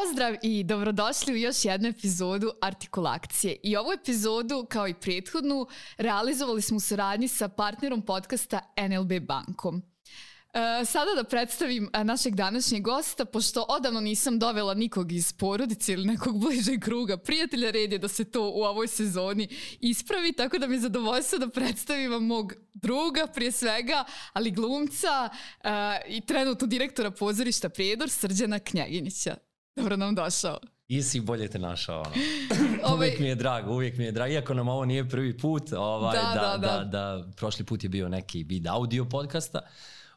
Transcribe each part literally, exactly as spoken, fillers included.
Pozdrav i dobrodošli u još jednu epizodu Artikulakcije. I ovu epizodu, kao i prethodnu, realizovali smo u saradnji sa partnerom podcasta N L B bankom. E, sada da predstavim našeg današnjeg gosta, pošto odavno nisam dovela nikog iz porodice ili nekog bližeg kruga prijatelja, red je da se to u ovoj sezoni ispravi, tako da mi je zadovoljstvo da predstavim vam mog druga prije svega, ali glumca e, i trenutno direktora pozorišta Prijedor, Srđana Knjeginića. Dobro nam došao. I si bolje te našao. Ono. Uvijek mi je drago, uvijek mi je drago. Iako nam ovo nije prvi put, ovaj, da, da, da, da. Da, da, prošli put je bio neki vid audio podcasta,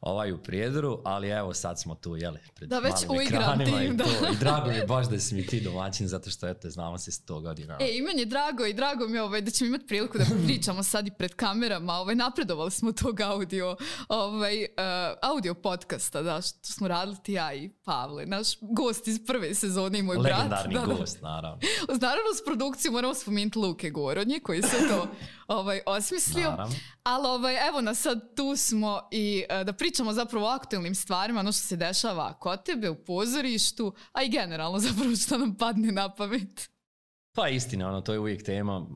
ovaj u Prijedoru, ali evo sad smo tu, jeli, pred da, već malim ekranima tim, i, da. To, i drago mi je baš da si mi ti domaćin, zato što eto, znamo se sto godina. E, i meni je drago i drago mi je ovaj, da ćemo imati priliku da pričamo sad i pred kamerama, ovaj, napredovali smo tog audio, ovaj, uh, audio podcasta, da, što smo radili ti ja i Pavle, naš gost iz prve sezone i moj legendarni brat. Legendarni gost, naravno. Naravno, s produkcijom moramo spomenuti Luke Gorodnje, koji se to ovaj, osmislio. Naravno. Ali ovaj, evo nas sad tu smo i uh, da pričamo zapravo o aktualnim stvarima, ono što se dešava kod tebe u pozorištu, a i generalno zapravo što nam padne na pamet. Pa istina, ono, to je uvijek tema,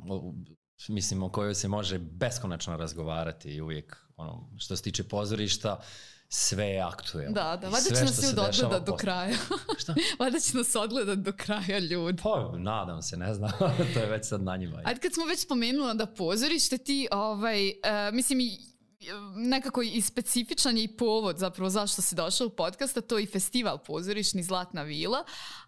mislim, o kojoj se može beskonačno razgovarati i uvijek, ono, što se tiče pozorišta, sve je aktuelno. Da, da, valjda će nas se odgledat do kraja. Šta? Valjda će nas odgledat do kraja, ljudi. Pa, nadam se, ne znam, to je već sad na njima. Ajde, kad smo već spomenula da pozorište, ti, ovaj, uh, mislim, i nekako i specifičan je i povod zapravo zašto si došao u podcast, a to je i festival pozorišni Zlatna vila,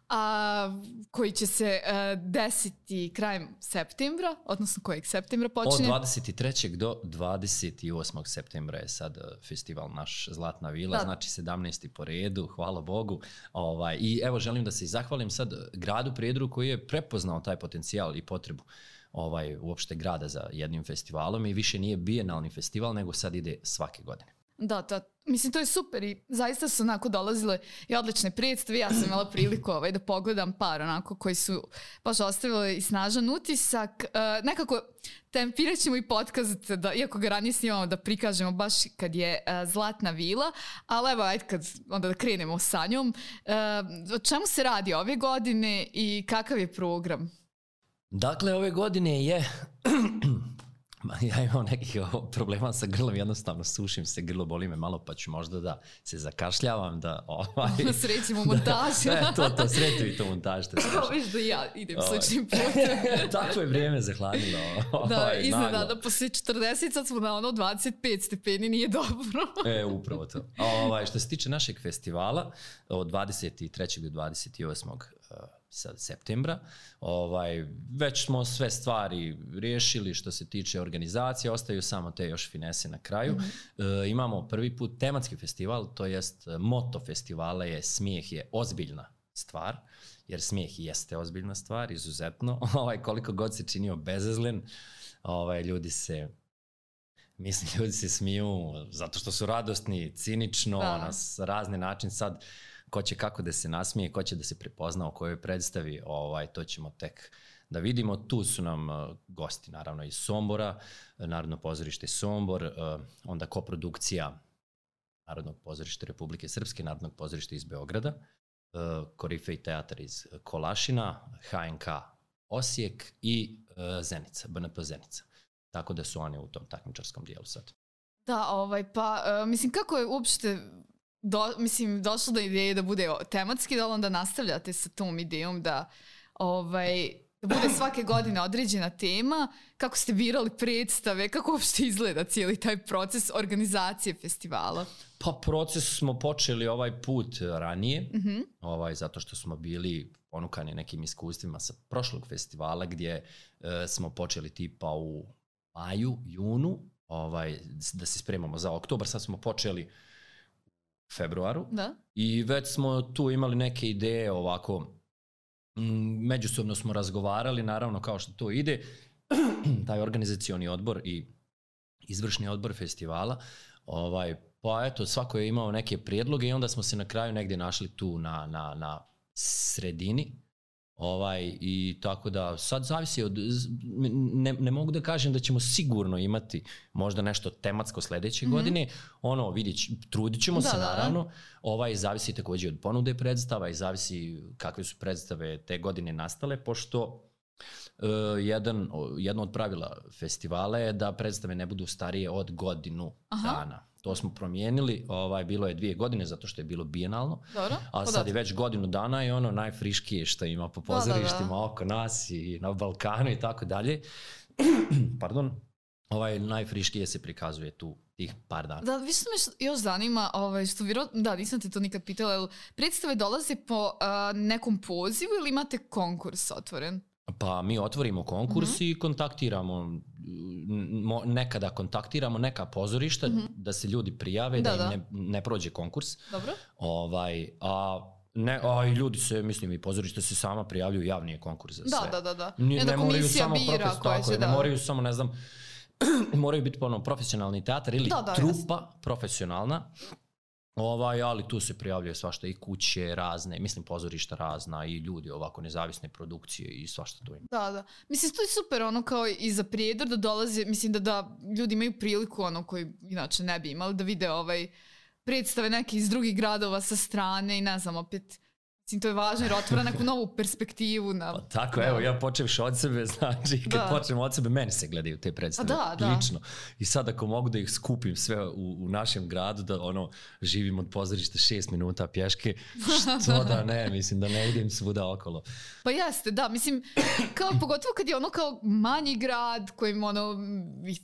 a, koji će se uh, desiti krajem septembra, odnosno kojeg septembra počinje? Od dvadeset trećeg do dvadeset osmog septembra je sad festival naš Zlatna vila, da. Znači sedamnaesti po redu, hvala Bogu. Ovaj, I evo želim da se zahvalim sad gradu Prijedoru koji je prepoznao taj potencijal i potrebu ovaj, uopšte grada za jednim festivalom i više nije bijenalni festival, nego sad ide svake godine. Da, da, mislim to je super i zaista su onako dolazile i odlične predstave. Ja sam imala priliku ovaj, da pogledam par onako koji su baš ostavile i snažan utisak. Uh, nekako tempirat ćemo i podcast, da, iako ga ranije snimamo, da prikažemo baš kad je uh, Zlatna vila, ali evo ajde kad onda da krenemo sa njom. Uh, o čemu se radi ove godine i kakav je program? Dakle, ove godine je... Ja imam nekih problema sa grlom, jednostavno sušim se, grlo boli me malo, pa ću možda da se zakašljavam, da... Ovaj, srećimo montažu. Da, to, to, sreću i to montaž. Kao viš da ja idem sličnim putem. Tako je vrijeme zahladilo. Da, iznenada, poslije četrdeset, sad smo na ono dvadeset pet stepeni, nije dobro. E, upravo to. Ovaj, što se tiče našeg festivala, od dvadeset trećeg do dvadeset osmog sad septembra, ovaj, već smo sve stvari riješili što se tiče organizacije, ostaju samo te još finese na kraju. Mm-hmm. E, imamo prvi put tematski festival, to jest moto festivala je smijeh je ozbiljna stvar, jer smijeh jeste ozbiljna stvar, izuzetno, ovaj, koliko god se činio bezazlen, ovaj, ljudi se mislim, ljudi se smiju zato što su radosni, cinično, da. Na razne način sad ko će kako da se nasmije, ko će da se prepozna o kojoj predstavi, ovaj, to ćemo tek da vidimo. Tu su nam uh, gosti, naravno, iz Sombora, Narodno pozorište Sombor, uh, onda koprodukcija Narodnog pozorišta Republike Srpske, Narodnog pozorišta iz Beograda, uh, Korifej teatar iz Kolašina, H N K Osijek i uh, Zenica, B N P Zenica. Tako da su oni u tom takmičarskom dijelu sad. Da, ovaj, pa, uh, mislim, kako je uopšte Do, mislim, došlo do ideje da bude tematski, da onda nastavljate sa tom idejom da, ovaj, da bude svake godine određena tema, kako ste birali predstave, kako uopšte izgleda cijeli taj proces organizacije festivala? Pa proces smo počeli ovaj put ranije, mm-hmm. ovaj, zato što smo bili ponukani nekim iskustvima sa prošlog festivala gdje e, smo počeli tipa u maju, junu, ovaj, da se spremamo za oktobar, sad smo počeli februaru, da. I već smo tu imali neke ideje ovako, m, međusobno smo razgovarali, naravno kao što to ide, taj organizacioni odbor i izvršni odbor festivala, ovaj, pa eto, svako je imao neke prijedloge i onda smo se na kraju negdje našli tu na, na, na sredini, Ovaj, i tako da sad zavisi od, ne, ne mogu da kažem da ćemo sigurno imati možda nešto tematsko sledeće mm-hmm. godine, ono vidjet, trudit ćemo da, se naravno, da. Ovaj, zavisi takođe od ponude predstava i zavisi kakve su predstave te godine nastale, pošto uh, jedan, jedno od pravila festivala je da predstave ne budu starije od godinu Aha. dana. To smo promijenili, ovaj, bilo je dvije godine zato što je bilo bijenalno, Dobro, a sad je već godinu dana i ono najfriškije što ima po pozorištima da, da, da. oko nas i na Balkanu i tako dalje. Pardon, ovaj, najfriškije se prikazuje tu tih par dana. Da, više me još zanima, ovaj, što vjero, da, nisam te to nikad pitala, jel predstave dolaze po uh, nekom pozivu ili imate konkurs otvoren? Pa mi otvorimo konkurs mm-hmm. i kontaktiramo, nekada kontaktiramo neka pozorišta mm-hmm. da se ljudi prijave, da, da im ne, ne prođe konkurs. Dobro. Ovaj, a, ne, a i ljudi se, mislim i pozorišta se sama prijavljuju, javni je konkurs za sve. Da, da, da. da. Ne, ne moraju samo profes, tako je, ne moraju samo, ne znam, moraju biti ono, profesionalni teatar ili da, da, trupa jasno. Profesionalna. Ovaj, ali tu se prijavljuje svašta i kuće razne, mislim pozorišta razna i ljudi ovako nezavisne produkcije i svašta tu ima. Da, da. Mislim, to je super ono kao i za Prijedor da dolaze, mislim da, da ljudi imaju priliku ono koji inače ne bi imali da vide ovaj predstave neke iz drugih gradova sa strane i ne znam opet. Mislim, to je važno jer otvara neku novu perspektivu. Na, pa tako, da. Evo, ja počevši od sebe, znači, kad da. počnem od sebe, meni se gledaju te predstave, da, da. lično. I sad ako mogu da ih skupim sve u, u našem gradu, da ono, živim od pozorišta šest minuta pješke, što da ne, mislim, da ne idem svuda okolo. Pa jeste, da, mislim, kao, pogotovo kad je ono kao manji grad kojim ono,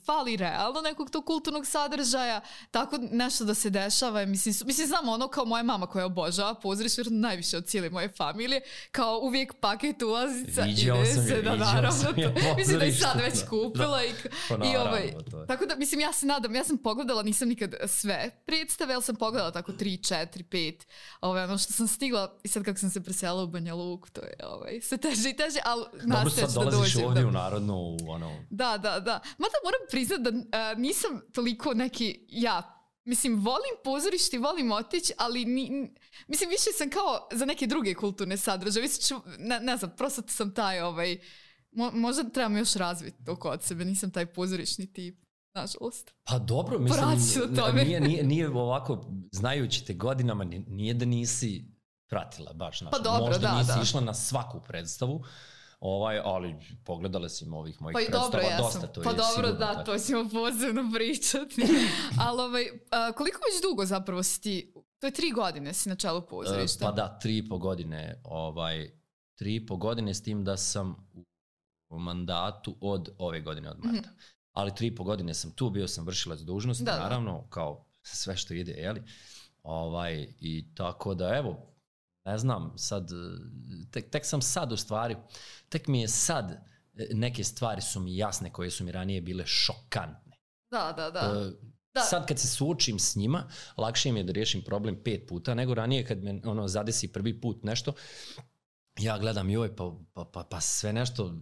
fali realno nekog tog kulturnog sadržaja, tako nešto da se dešava, mislim, mislim znam ono kao moja mama koja obožava pozorište, najviše od cijele moje familije, kao uvijek paket ulazica viđao ide sam se je, da naravno to. Je mislim da i sad već kupila da. i, pa i ovaj, tako da mislim ja se nadam, ja sam pogledala, nisam nikad sve predstave, ali sam pogledala tako tri, četiri, pet, ovaj, ono što sam stigla i sad kako sam se preselila u Banja Luku, to je ovaj, sve teže i teže, ali nastavit ću da dođem. Dobro, sad dolaziš ovdje da, u Narodnu, ono... Da, da, da. Mada moram priznat da uh, nisam toliko neki, ja, mislim, volim pozorište, volim otići, ali ni, mislim, više sam kao za neke druge kulturne sadržaje. Mislim, ne, ne znam, prosto sam taj, ovaj, mo, možda trebam još razviti to kod sebe, nisam taj pozorišni tip, nažalost. Pa dobro, mislim, nije, nije, nije ovako, znajući te godinama, nije da nisi pratila baš, naš, pa dobro, možda da, nisi da. išla na svaku predstavu, Ovaj, ali pogledala si ovih mojih pa predstava, dobro, ja dosta to pa je dobro, sigurno. Pa dobro, da, to ćemo posebno pričati. Ali ovaj, a, koliko već dugo zapravo si ti, to je tri godine si na čelu pozorišta? Pa da, tri i po godine, ovaj, tri i po godine s tim da sam u mandatu od ove godine, od marta. Mm-hmm. Ali tri i po godine sam tu, bio sam vršilac dužnosti, da, naravno, da. Kao sve što ide, jeli? Ovaj, i tako da, evo, ne znam, sad, tek, tek sam sad u stvari, tek mi je sad, neke stvari su mi jasne koje su mi ranije bile šokantne. Da, da, da. Uh, da. Sad kad se suočim s njima, lakše mi je da riješim problem pet puta, nego ranije kad me ono zadesi prvi put nešto, ja gledam joj, pa, pa, pa, pa sve nešto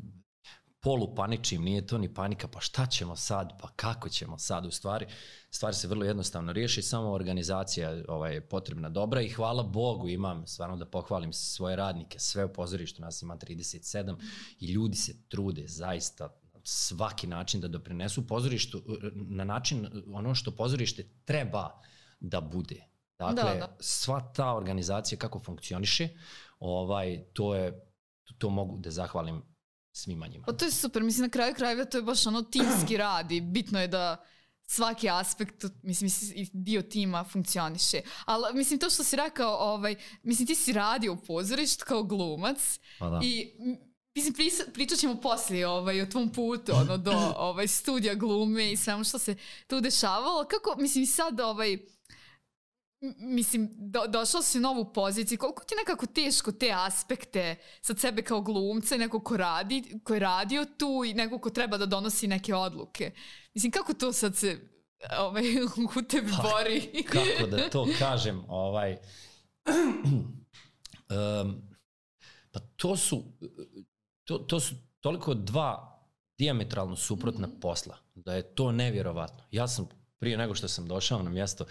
polupaničim, nije to ni panika, pa šta ćemo sad, pa kako ćemo sad u stvari. Stvari se vrlo jednostavno riješi, samo organizacija ovaj, je potrebna dobra i hvala Bogu imam, stvarno da pohvalim svoje radnike, sve u pozorištu, nas ima trideset sedam i ljudi se trude zaista svaki način da doprinesu pozorištu na način ono što pozorište treba da bude. Dakle, da, da. Sva ta organizacija kako funkcioniše, ovaj, to je, to mogu da zahvalim svima njima. Pa to je super, mislim na kraju krajeva to je baš ono timski rad i bitno je da svaki aspekt, mislim, dio tima funkcioniše. Ali, mislim, to što si rekao, ovaj, mislim, ti si radio u pozorištu kao glumac i, mislim, pričat ćemo poslije ovaj, o tvom putu, ono, do ovaj, studija glume i svemu što se tu dešavalo. Kako, mislim, sad, ovaj, mislim, do, došao si u novu poziciju, koliko ti nekako teško te aspekte sad sebe kao glumca i neko ko radi, ko je radio tu i neko ko treba da donosi neke odluke. Mislim, kako to sad se ovaj, u tebi pa, bori? Kako da to kažem, ovaj, um, pa to su, to, to su toliko dva dijametralno suprotna mm-hmm. posla, da je to nevjerovatno. Ja sam prije nego što sam došao na mjesto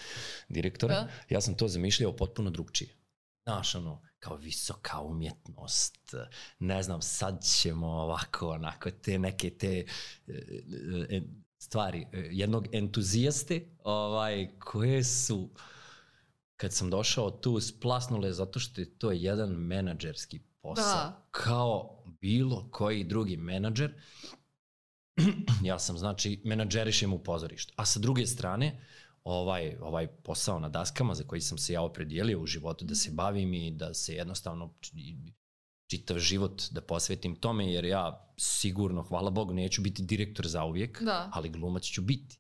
direktora, da. Ja sam to zamišljao potpuno drugčije. znaš, ono, kao visoka umjetnost, ne znam, sad ćemo ovako, onako, te neke te e, stvari, jednog entuzijaste, ovaj, koje su, kad sam došao tu, splasnule zato što je to jedan menadžerski posao, da. Kao bilo koji drugi menadžer. Ja sam, znači, menadžerišem u pozorištu. A sa druge strane, ovaj, ovaj posao na daskama za koji sam se ja opredijelio u životu da se bavim i da se jednostavno čitav život da posvetim tome, jer ja sigurno, hvala Bogu, neću biti direktor zauvijek, da. Ali glumac ću biti.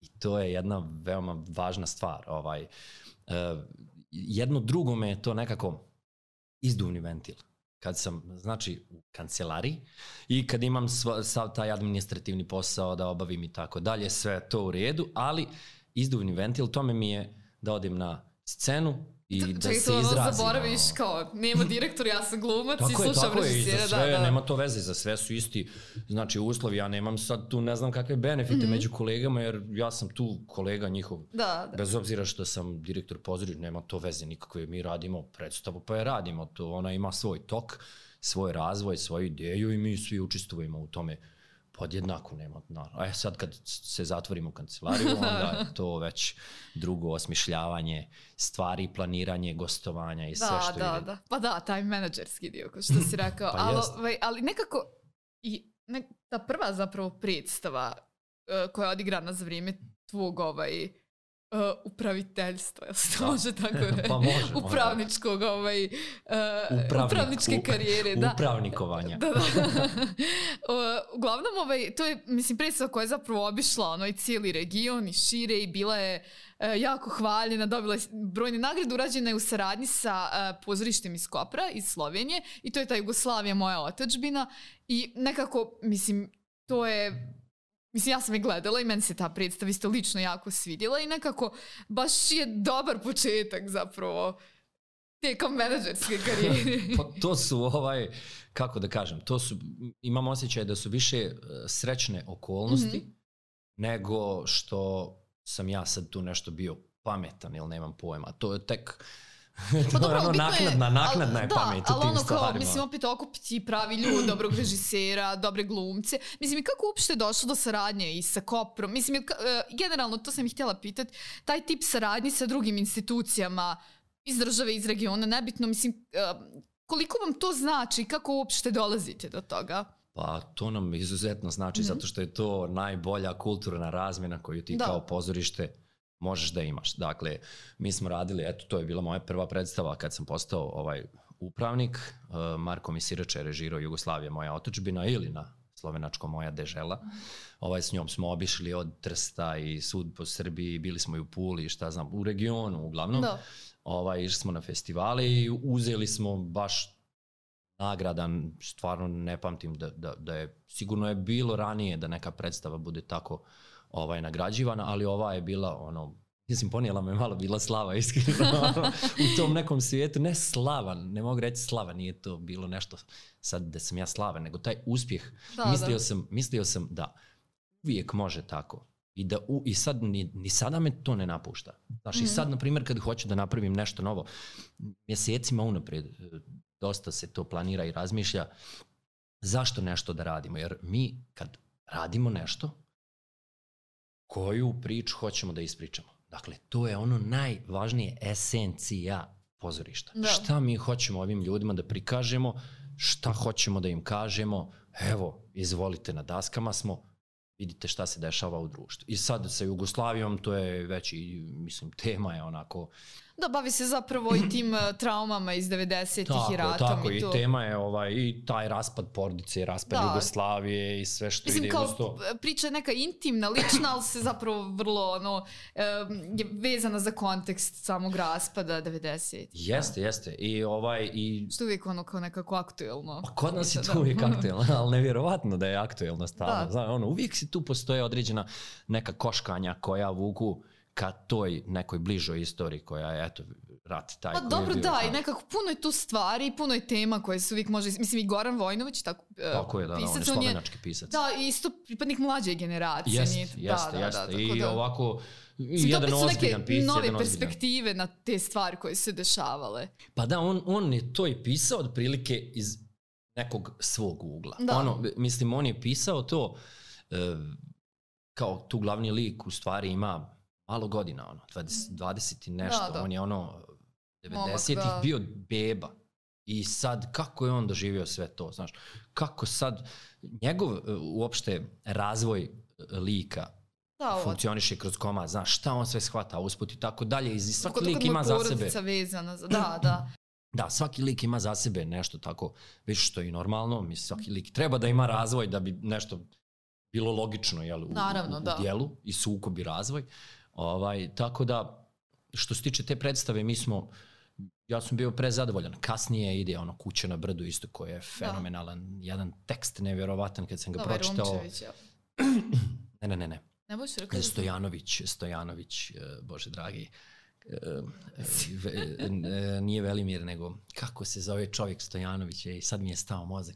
I to je jedna veoma važna stvar. Ovaj, uh, jedno drugo me je to nekako izduvni ventil. Kad sam, znači, u kancelariji i kad imam sva, sav taj administrativni posao da obavim i tako dalje, sve to u redu, ali izduvni ventil, tome mi je da odim na scenu i T- da se izrazim. Čekaj, to zaboraviš kao, nema direktor, ja sam glumac i slušam režisera. Tako je, da, da. Nema to veze, za sve su isti, znači, uslovi. Ja nemam sad tu ne znam kakve benefite mm-hmm. među kolegama, jer ja sam tu kolega njihov. Da, da. Bez obzira što sam direktor pozorišta, nema to veze nikakve. Mi radimo predstavu, pa je radimo to. Ona ima svoj tok, svoj razvoj, svoju ideju i mi svi učestvujemo u tome podjednako, nema. A sad kad se zatvorimo u kancelariju, onda je to već drugo osmišljavanje stvari, planiranje, gostovanja i da, sve što da, ide. Da. Pa da, taj menadžerski dio, kao što si rekao. Pa ali, ali nekako, i ne, ta prva zapravo predstava uh, koja je odigrana za vrijeme tvog ovaj, Uh, upraviteljstva, jel se to može tako reći? Pa može. Upravničkog, ovaj, uh, Upravnik, upravničke karijere. Da. Upravnikovanja. Da, da. uh, uglavnom, ovaj, to je, mislim, predstava koja je zapravo obišla ono, i cijeli region i šire i bila je uh, jako hvaljena, dobila je brojne nagrade, urađena je u saradnji sa uh, pozorištem iz Kopra, iz Slovenije, i to je ta Jugoslavija, moja otadžbina, i nekako, mislim, to je... Mislim, ja sam je gledala i meni se ta predstava isto lično jako svidjela i nekako baš je dobar početak zapravo tijekom menadžerske karijere. Pa to su, ovaj, kako da kažem, to su, imam osjećaj da su više srećne okolnosti mm-hmm. nego što sam ja sad tu nešto bio pametan ili nemam pojma. To je tek... Pa dobro, ono, naknadna, naknadna je da, pamet u tim ono stvarima. Kao, mislim, opet okupiti pravi ljudi, dobrog režisera, dobre glumce. Mislim, i kako uopšte je došlo do saradnje i sa Koprom? Mislim, generalno, to sam ih htjela pitati, taj tip saradnje sa drugim institucijama iz države, iz regiona, nebitno, mislim, koliko vam to znači, kako uopšte dolazite do toga? Pa to nam izuzetno znači, mm-hmm. zato što je to najbolja kulturna razmjena koju ti da. Kao pozorište možeš da imaš. Dakle, mi smo radili, eto, to je bila moja prva predstava kad sam postao ovaj upravnik. Uh, Marko Misirač je režirao Jugoslavija, moja otadžbina, ili na slovenačko moja dežela. Ovaj, s njom smo obišli od Trsta i sud po Srbiji, bili smo i u Puli, šta znam, u regionu uglavnom. Da. Ovaj, išli smo na festivale i uzeli smo baš nagradan, stvarno ne pamtim da, da, da je, sigurno je bilo ranije da neka predstava bude tako ovaj, nagrađivana, ali ova je bila, ono, mislim, ponijela me malo, bila slava, iskreno, u tom nekom svijetu, ne slava, ne mogu reći slava, nije to bilo nešto sad da sam ja slaven, nego taj uspjeh, da, mislio, da. Sam, mislio sam da uvijek može tako. I, da u, i sad, ni, ni sada me to ne napušta. Znaš, mm-hmm. i sad, na primjer, kad hoću da napravim nešto novo, mjesecima unaprijed, dosta se to planira i razmišlja, zašto nešto da radimo? Jer mi, kad radimo nešto, koju priču hoćemo da ispričamo. Dakle, to je ono najvažnije, esencija pozorišta. Da. Šta mi hoćemo ovim ljudima da prikažemo, šta hoćemo da im kažemo, evo, izvolite, na daskama smo, vidite šta se dešava u društvu. I sad sa Jugoslavijom, to je već i, mislim, tema je onako... Da, bavi se zapravo i tim traumama iz devedesetih tako, i ratom. Tako, i, i to. tema je ovaj, i taj raspad porodice, raspad da. Jugoslavije i sve što mislim, ide uz to. Mislim, kao priča je neka intimna, lična, ali se zapravo vrlo ono, je vezana za kontekst samog raspada devedesetih. Jeste, da. jeste. I ovaj... I... Što uvijek ono kao nekako aktuelno. Pa kod nas je to uvijek aktuelno, ali nevjerovatno da je aktuelno stalno. Znam, ono, uvijek si tu postoje određena neka koškanja koja vuku ka toj nekoj bližoj istoriji koja je, eto, rat taj pa koji dobro, je bio. da, i nekako puno je tu stvari, puno je tema koje se uvijek može, mislim i Goran Vojnović, tako, tako je, da, pisac, on je slovenački pisac. Da, isto pripadnik mlađe generacije. Jeste, nije, jeste, da, jeste. Da, da, I da. ovako, mislim, jedan ozbiljan neke pisac. nove jedan perspektive ozbiljan. Na te stvari koje se dešavale. Pa da, on, on je to i pisao otprilike iz nekog svog ugla. Da. Ono, mislim, on je pisao to uh, kao tu glavni lik u stvari ima malo godina, ono, dvadeset, dvadeset i nešto. Da, da. On je ono, devedesetih Momak, da. bio beba. I sad, kako je on doživio sve to, znaš? Kako sad, njegov uh, uopšte razvoj lika da, funkcioniše kroz komad, znaš, šta on sve shvata, usput i tako dalje. I svaki Kod, lik ima za sebe. Vezana za, da, da. Da, svaki lik ima za sebe nešto tako, više što je i normalno, mislim, svaki lik treba da ima razvoj da bi nešto bilo logično, jel, u, Naravno, u, u da. dijelu i sukob i razvoj. Ovaj, tako da, što se tiče te predstave, mi smo, ja sam bio prezadovoljan. Kasnije ide ono Kuća na brdu isto, koji je fenomenalan, da. Jedan tekst nevjerovatan kad sam ga da, pročitao. Ja. ne, ne, ne, ne. Ne boš rekao. Stojanović, Stojanović, Bože dragi, nije Velimir, nego kako se zove čovjek Stojanović, i sad mi je stao mozak.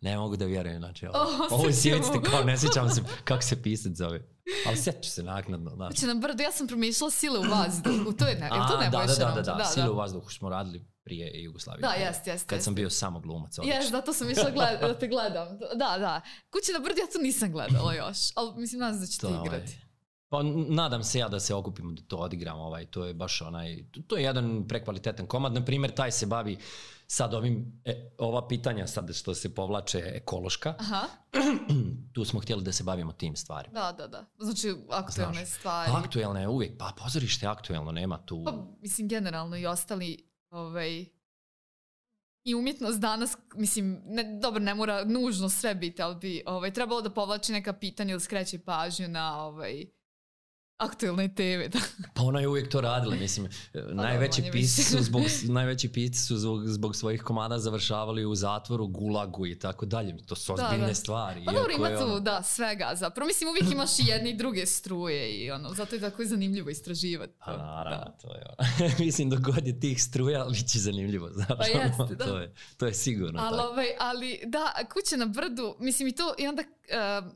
Ne mogu da vjerujem, znači ovo, oh, ovo sjećate kao, ne sjećam se kako se pisac zove. Ali sjeću se naknadno. Znači. Znači na brdu, ja sam promišljala Sile u vazduhu, to je ne, A, to ne da, da, da, da, da, da, Sile u vazduhu smo radili prije Jugoslavije. Da, jest, jest. Kad jest. sam bio samo glumac. Jes, da, to sam išla gled, da te gledam. Da, da. Kuća na brdu, ja to nisam gledala još, ali mislim, nadam se da ćete to, igrati. Ovaj. Pa nadam se ja da se okupimo da to odigramo, ovaj, to je baš onaj, to je jedan prekvalitetan komad, na primjer taj se bavi sad ovim, e, ova pitanja sad što se povlače ekološka, Aha. Tu smo htjeli da se bavimo tim stvarima. Da, da, da, znači aktuelne Znaš, stvari. Aktuelne je uvijek, pa pozorište je aktuelno, nema tu... Pa mislim generalno i ostali, ovaj, i umjetnost danas, mislim, ne, dobro, ne mora nužno sve biti, ali bi ovaj, trebalo da povlači neka pitanja ili skreće pažnju na ovaj, aktuelne teme. Da. Pa ona je uvijek to radila, mislim, pa najveći pisci su, zbog, najveći pisci su zbog, zbog svojih komada završavali u zatvoru, gulagu i tako dalje. To su ozbiljne da, da. stvari. Pa dobro, ima tu, ono... da, svega zapravo. Mislim, uvijek imaš i jedne i druge struje i ono, zato je tako zanimljivo istraživati. Pa naravno, da. To je ono. Mislim, dok god je tih struja, bit će zanimljivo. Znaš, pa jeste, ono, da. To je, to je sigurno. Ali, ovaj, ali da, Kuća na brdu, mislim i to, i onda... Uh,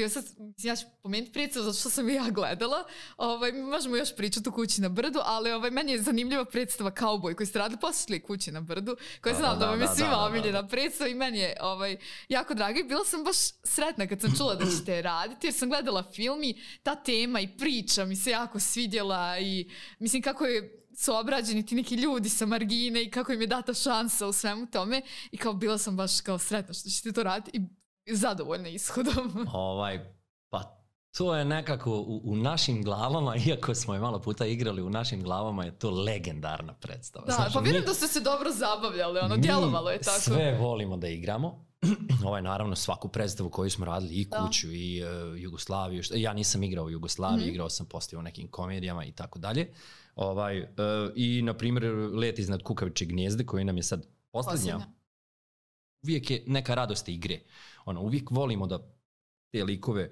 Sad, ja ću pomenuti predstavu zato što sam ja gledala. Ovaj, možemo još pričati o Kući na brdu, ali ovaj, meni je zanimljiva predstava Kauboj koji ste radili poslije Kući na brdu, koja znam da, da vam je svima omiljena predstava i meni je ovaj, jako draga i bila sam baš sretna kad sam čula da ćete raditi jer sam gledala film i ta tema i priča mi se jako svidjela i mislim kako je su obrađeni ti neki ljudi sa margine i kako im je data šansa u svemu tome i kao bila sam baš kao sretna što ćete to raditi i zadovoljna ishodom. Ovaj, pa to je nekako u, u našim glavama, iako smo je malo puta igrali, u našim glavama je to legendarna predstava. Da, Znaš, pa vjerujem mi, da ste se dobro zabavljali, ono, djelovalo je tako. Sve volimo da igramo. Ovaj, naravno, svaku predstavu koju smo radili, i Kuću, da. i uh, Jugoslaviju. Što, ja nisam igrao u Jugoslaviji, mm-hmm. igrao sam poslije u nekim komedijama i tako dalje. Ovaj, uh, I, na primjer, Let iznad kukavičje gnijezde, koji nam je sad posljednja. Uvijek je neka radost igre. Ono, uvijek volimo da te likove,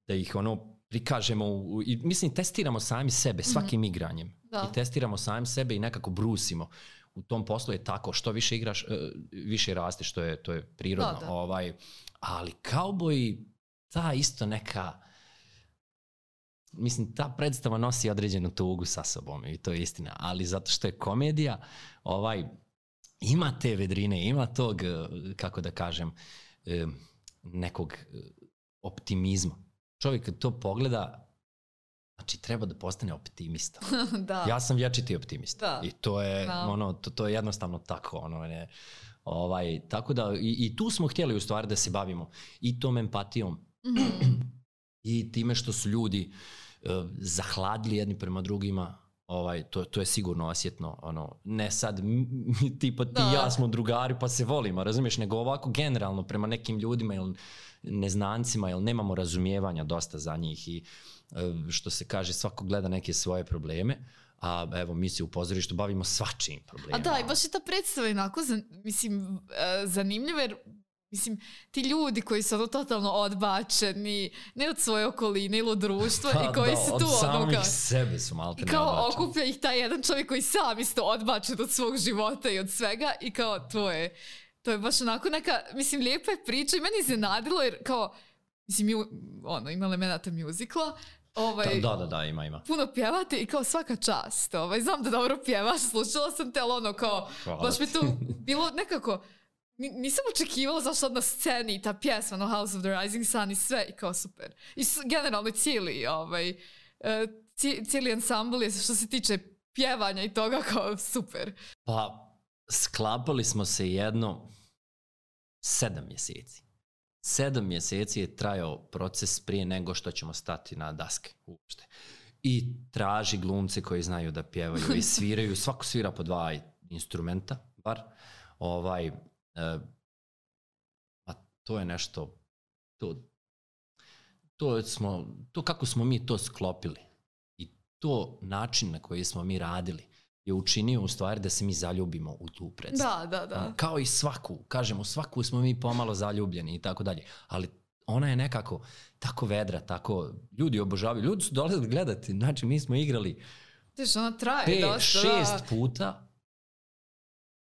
da ih ono prikažemo u, i mislim testiramo sami sebe svakim mm-hmm. igranjem. Da. I testiramo sami sebe i nekako brusimo. U tom poslu je tako, što više igraš, više raste, što je, to je prirodno. Da, da. Ovaj, ali Kauboji, ta isto neka, mislim, ta predstava nosi određenu tugu sa sobom i to je istina. Ali zato što je komedija, ovaj, ima te vedrine, ima tog, kako da kažem, nekog optimizma. Čovjek kad to pogleda, znači treba da postane optimista. Da. Ja sam vječiti optimista. Da. I to je, da. ono, to, to je jednostavno tako. Ono, ne, ovaj, tako da, i, i tu smo htjeli u stvari da se bavimo i tom empatijom mm-hmm. i time što su ljudi uh, zahladili jedni prema drugima. Ovaj, to, to je sigurno osjetno, ono, ne sad tipa ti i ja smo drugari pa se volimo, razumiješ, nego ovako generalno prema nekim ljudima ili neznancima, jer nemamo razumijevanja dosta za njih i što se kaže, svako gleda neke svoje probleme, a evo mi se u pozorištu bavimo svačijim problemima. A da, i baš je ta predstava onako, mislim, zanimljiva jer mislim, ti ljudi koji su ono totalno odbačeni, ne od svoje okoline ili od društva, ha, i koji da, su od tu od samih ono, sebe su malte i ne kao odbačeni. okuplja ih taj jedan čovjek koji sam isto odbačen od svog života i od svega i kao to je, to je baš onako neka, mislim, lijepa je priča i meni iznenadilo jer kao, mislim, mi, ono, ima elemenata muzikla, ovaj, da, da, da, ima, ima. puno pjevate i kao svaka čast, ovaj, znam da dobro pjevaš, slušala sam te, ali ono kao, Hvala baš mi ti. to bilo nekako, nisam očekivala zašto sad na sceni ta pjesma, no House of the Rising Sun i sve, i kao super. I generalno cijeli, ovaj, cijeli ansambl je što se tiče pjevanja i toga kao super. Pa, sklapali smo se jedno sedam mjeseci. Sedam mjeseci je trajao proces prije nego što ćemo stati na daske uopšte. I traži glumce koji znaju da pjevaju i sviraju. Svako svira po dva instrumenta, bar. Ovaj, e, a to je nešto, to, to, smo, to kako smo mi to sklopili i to način na koji smo mi radili je učinio u stvari da se mi zaljubimo u tu predstavu. Da, da, da. Kao i svaku, kažemo, svaku smo mi pomalo zaljubljeni i tako dalje, ali ona je nekako tako vedra, tako, ljudi obožavaju, ljudi su dolazili gledati, znači mi smo igrali Tiš, ona traje pet, dosta, šest da. puta,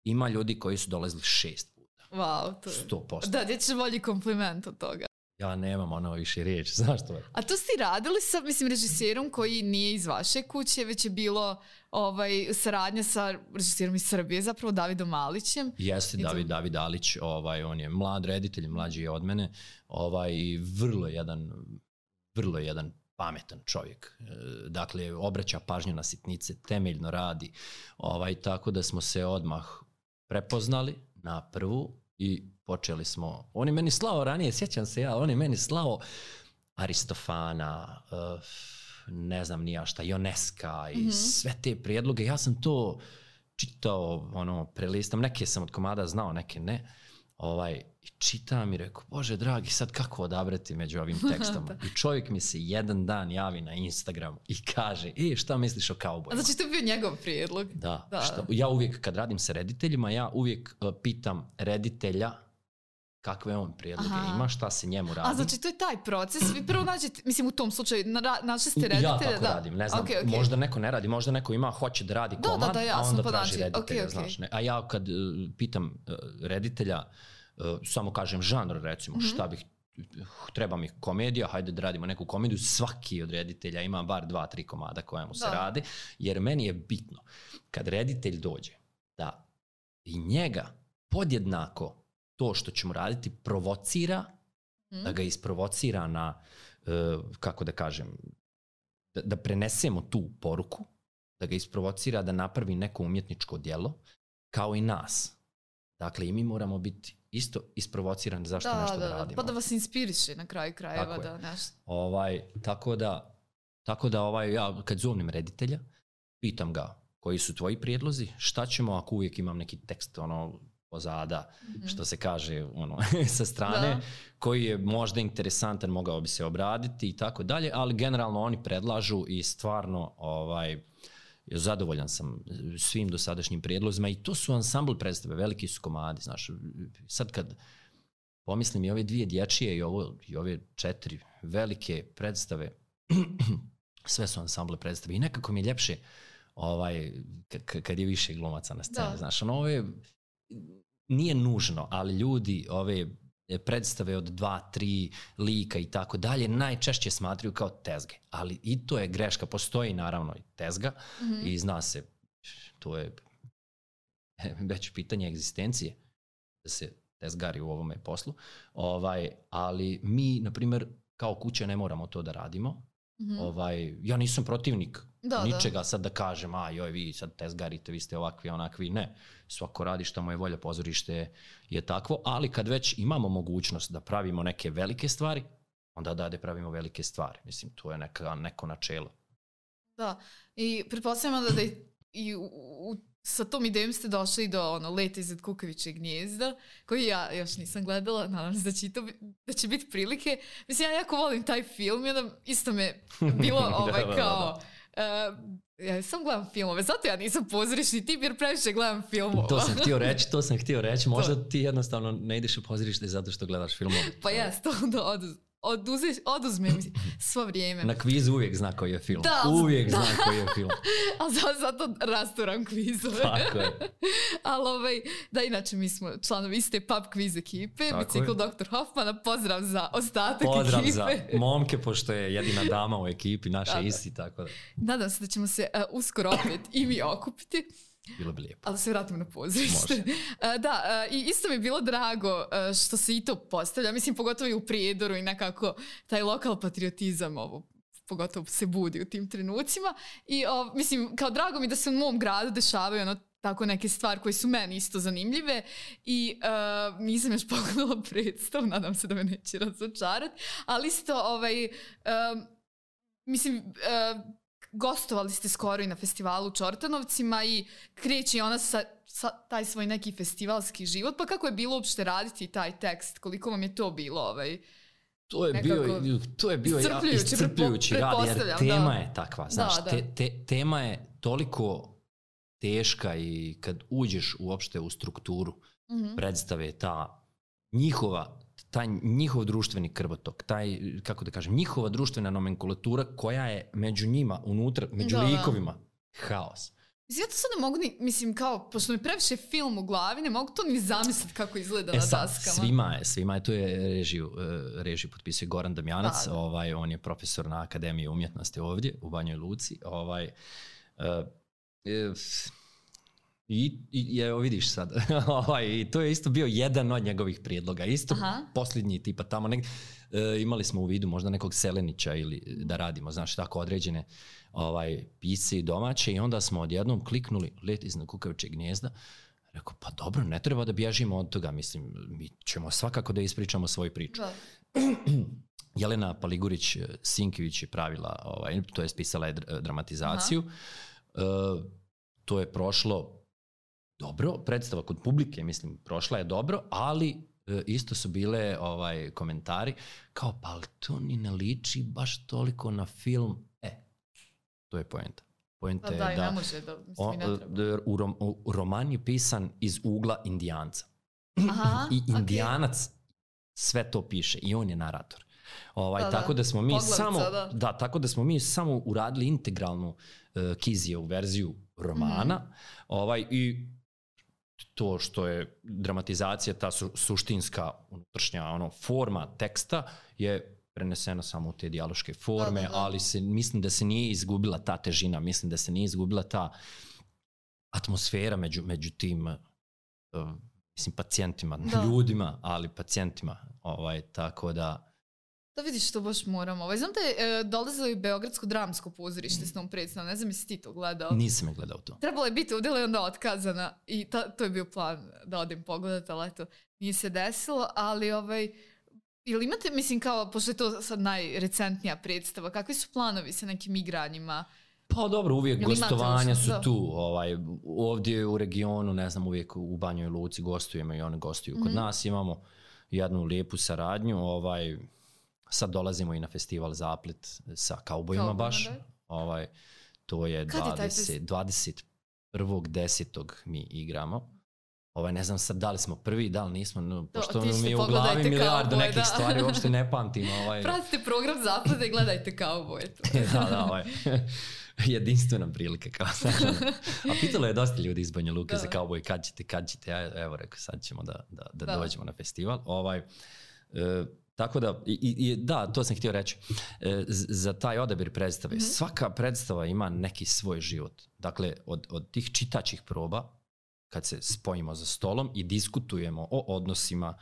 ima ljudi koji su dolazili šest puta. Wow, to je... sto posto. Da, gdje će bolji kompliment od toga. Ja nemam ono više riječi, znaš to je? A to ste radili sa, mislim, režiserom koji nije iz vaše kuće, već je bilo ovaj, saradnja sa režiserom iz Srbije, zapravo Davidom Malićem. Jeste, David, David Alić, ovaj, on je mlad reditelj, mlađi je od mene, ovaj, i vrlo jedan, vrlo jedan pametan čovjek. Dakle, obraća pažnju na sitnice, temeljno radi, ovaj, tako da smo se odmah prepoznali na prvu i počeli smo, on je meni slao ranije, sjećam se ja, on je meni slao Aristofana, uh, ne znam ni ja šta, Ioneska i mm-hmm. sve te prijedloge. Ja sam to čitao, ono, prelistam, neke sam od komada znao, neke ne. Ovaj, i čitam i rekao, Bože dragi, sad kako odabrati među ovim tekstama? I čovjek mi se jedan dan javi na Instagramu i kaže, e, šta misliš o kaubojima? A znači to je bio njegov prijedlog? Da, da. Šta, ja uvijek kad radim sa rediteljima, ja uvijek uh, pitam reditelja kakve on prijedloge Aha. ima, šta se njemu radi. A znači to je taj proces, vi prvo nađete, mislim u tom slučaju, na, našli ste reditelja. Ja tako da. radim, ne znam, okay, okay. možda neko ne radi, možda neko ima, hoće da radi da, komad, da, da, jasno, a onda pa traži znači, reditelja, okay, okay. znaš. Ne? A ja kad uh, pitam uh, reditelja, uh, samo kažem žanr, recimo, mm-hmm. šta bih, treba mi komedija, hajde da radimo neku komediju, svaki od reditelja ima bar dva, tri komada koja mu se da. radi, jer meni je bitno, kad reditelj dođe, da i njega podjednako to što ćemo raditi provocira, mm. da ga isprovocira na, uh, kako da kažem, da, da prenesemo tu poruku, da ga isprovocira da napravi neko umjetničko djelo, kao i nas. Dakle, i mi moramo biti isto isprovocirani zašto da, nešto da, da radimo. Pa da vas inspiriše na kraju krajeva. Tako da nešto. Ovaj, tako da, tako da ovaj, ja kad zovnem reditelja, pitam ga koji su tvoji prijedlozi, šta ćemo ako uvijek imam neki tekst, ono, pozada, mm-hmm. što se kaže ono, sa strane, da. koji je možda interesantan, mogao bi se obraditi i tako dalje, ali generalno oni predlažu i stvarno ovaj, zadovoljan sam svim dosadašnjim prijedlozima i to su ansambl predstave, veliki su komadi, znaš, sad kad pomislim i ove dvije dječije i, ovo, i ove četiri velike predstave, sve su ansamble predstave i nekako mi je ljepše ovaj, k- kad je više glumaca na sceni, da. Znaš, ono, ove nije nužno, ali ljudi ove predstave od dva, tri lika i tako dalje najčešće smatraju kao tezge, ali i to je greška, postoji naravno i tezga mm-hmm. i zna se, to je već pitanje egzistencije da se tezgari u ovome poslu, ovaj, ali mi, na primjer, kao kuća ne moramo to da radimo. Mm-hmm. Ovaj, ja nisam protivnik da, ničega da. Sad da kažem, a joj vi sad tezgarite, vi ste ovakvi, onakvi, ne. Svako radi šta mu je volja, pozorište je takvo, ali kad već imamo mogućnost da pravimo neke velike stvari, onda da pravimo velike stvari. Mislim, to je neka, neko načelo. Da, i pretpostavljamo da, da i, i u, u, sa tom idejom ste došli do ono, Leta iznad kukavičjeg gnijezda, koji ja još nisam gledala, nadam se da će, to, da će biti prilike. Mislim, ja jako volim taj film, jedan isto me bilo ovaj, kao... Uh, Ja sam gledam filmove, zato ja nisam pozorišni tip jer previše gledam filmova. To sam htio reći, to sam htio reći. Možda ti jednostavno ne ideš u pozorište zato što gledaš filmove. Pa jes, to onda oduz, oduzeš, oduzme mi svo vrijeme. Na kvizu uvijek zna koji je film. Da, uvijek da. zna koji je film. Ali zato rasturam kvizove. Tako je. Ali ovaj, da, inače mi smo članovi iste pub kviz ekipe, Bicikl doktor Hoffmana, pozdrav za ostatak pozdrav ekipe. Pozdrav za momke, pošto je jedina dama u ekipi, naše da, isti, tako da. Nadam se da ćemo se uh, uskoro opet i mi okupiti. Bilo bi lijepo. Ali se vratimo na pozorište. Uh, da, uh, i isto mi je bilo drago uh, što se i to postavlja. Mislim, pogotovo i u Prijedoru i nekako taj lokal patriotizam ovo pogotovo se budi u tim trenucima. I uh, mislim, kao drago mi da se u mom gradu dešavaju ono tako neke stvari koje su meni isto zanimljive i uh, nisam još pogledala predstav, nadam se da me neće razočarati, ali isto ovaj, uh, mislim, uh, gostovali ste skoro i na festivalu u Čortanovcima i kreće ona sa, sa taj svoj neki festivalski život, pa kako je bilo uopšte raditi taj tekst, koliko vam je to bilo ovaj, To je bio, to je bio iscrpljujući, ja, iscrpljujući rad, jer tema da. je takva, znaš, da, da. Te, te, tema je toliko teška i kad uđeš uopšte u strukturu mm-hmm. predstave, ta njihova, taj njihov društveni krvotok, taj, kako da kažem, njihova društvena nomenkulatura koja je među njima, unutra, među da, likovima, haos. Mislim, ja to sad ne mogu ni, mislim, kao, pošto mi previše film u glavi, ne mogu to ni zamisliti kako izgleda e, na sad, daskama. Svima je, svima je, to je režiju, režiju potpisuje Goran Damjanac, da, da. Ovaj, on je profesor na Akademiji umjetnosti ovdje, u Banjoj Luci, ovaj, uh, uh, I, i evo vidiš sad, ovaj, to je isto bio jedan od njegovih prijedloga, isto Aha. posljednji tipa tamo negdje, e, imali smo u vidu možda nekog Selenića ili da radimo, znaš, tako određene ovaj, pisce domaće i onda smo odjednom kliknuli Let iznad kukavičjeg gnijezda, rekao pa dobro, ne treba da bježimo od toga, mislim, mi ćemo svakako da ispričamo svoju priču. Da. Jelena Paligurić-Sinkivić je pravila, ovaj, to je spisala je dramatizaciju, e, to je prošlo dobro, predstava kod publike, mislim, prošla je dobro, ali e, isto su bile ovaj, komentari kao, pa ali to ni ne liči baš toliko na film. E, to je poenta. Poenta pa je da, da, ne može da, mislim, on, ne treba. U, rom, u roman je pisan iz ugla Indijanca. Aha, I Indijanac okay. sve to piše i on je narator. Ovaj, da, tako da smo mi Poglavica, samo da. da, tako da smo mi samo uradili integralnu uh, Kizijevu verziju romana, mm. ovaj i to što je dramatizacija, ta su, suštinska unutrašnja ono, forma teksta je prenesena samo u te dijaloške forme, da, da, da. ali se, mislim da se nije izgubila ta težina, mislim da se nije izgubila ta atmosfera među, među tim uh, mislim, pacijentima, da. ljudima, ali pacijentima, ovaj, tako da da vidiš što baš moramo. Ovaj, znam da je e, dolazilo i Beogradsko dramsko pozorište s tom predstavom, ne znam jesi ti to gledao. Nisam je gledao to. Trebalo je biti udjela i onda otkazana i ta, to je bio plan da odem pogledat, ali eto, nije se desilo, ali ovaj, ili imate, mislim kao, pošto je to sad najrecentnija predstava, kakvi su planovi sa nekim igranjima? Pa dobro, uvijek ili gostovanja su da. tu, ovaj, ovdje u regionu, ne znam, uvijek u Banjoj Luci gostujemo i oni gostuju mm-hmm. kod nas, imamo jednu lijepu saradnju, ovaj, sad dolazimo i na festival Zaplet sa kaubojima baš. Da. Ovaj, to je dvadeset prvog desetog mi igramo. Ovaj, ne znam sad da li smo prvi, da li nismo, no, pošto mi je u glavi milijardu nekih da. stvari, uopšte ne pamtim. Ovaj. Pratite program Zapleta i gledajte kauboje. da, da, ovaj. Jedinstvena prilika. Kao a pitalo je dosta ljudi iz Banja Luke da. za kauboj, kad ćete, kad ćete. Ja, evo rekao, sad ćemo da, da, da, da. dođemo na festival. Ovaj, e, Tako da, i, i, da, to sam htio reći, e, za taj odabir predstave, mm-hmm. svaka predstava ima neki svoj život. Dakle, od, od tih čitačih proba, kad se spojimo za stolom i diskutujemo o odnosima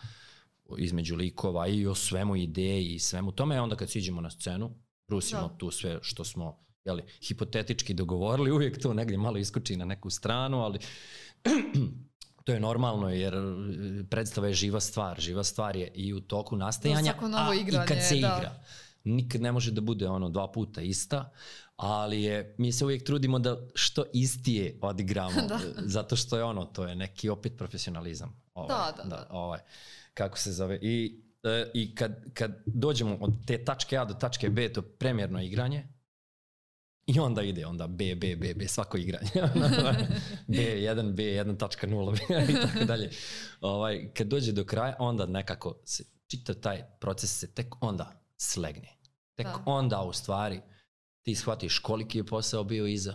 između likova i o svemu ideji i svemu tome, onda kad siđemo na scenu, brusimo da. tu sve što smo jeli, hipotetički dogovorili, uvijek to negdje malo iskoči na neku stranu, ali to je normalno jer predstava je živa stvar. Živa stvar je i u toku nastajanja, a igranje, i kad se da. igra. Nikad ne može da bude ono dva puta ista, ali je, mi se uvijek trudimo da što istije odigramo, zato što je ono, to je neki opet profesionalizam. Ovaj, da, da, da. da ovaj, kako se zove. I, e, i kad, kad dođemo od te tačke A do tačke B, to premijerno igranje, I onda ide, onda B, B, B, B, svako igranje. B jedan, B jedan tačka nula i tako dalje. Ovaj, kad dođe do kraja, onda nekako se, čitav taj proces se tek onda slegne. Tek da. Onda u stvari ti shvatiš koliki je posao bio iza,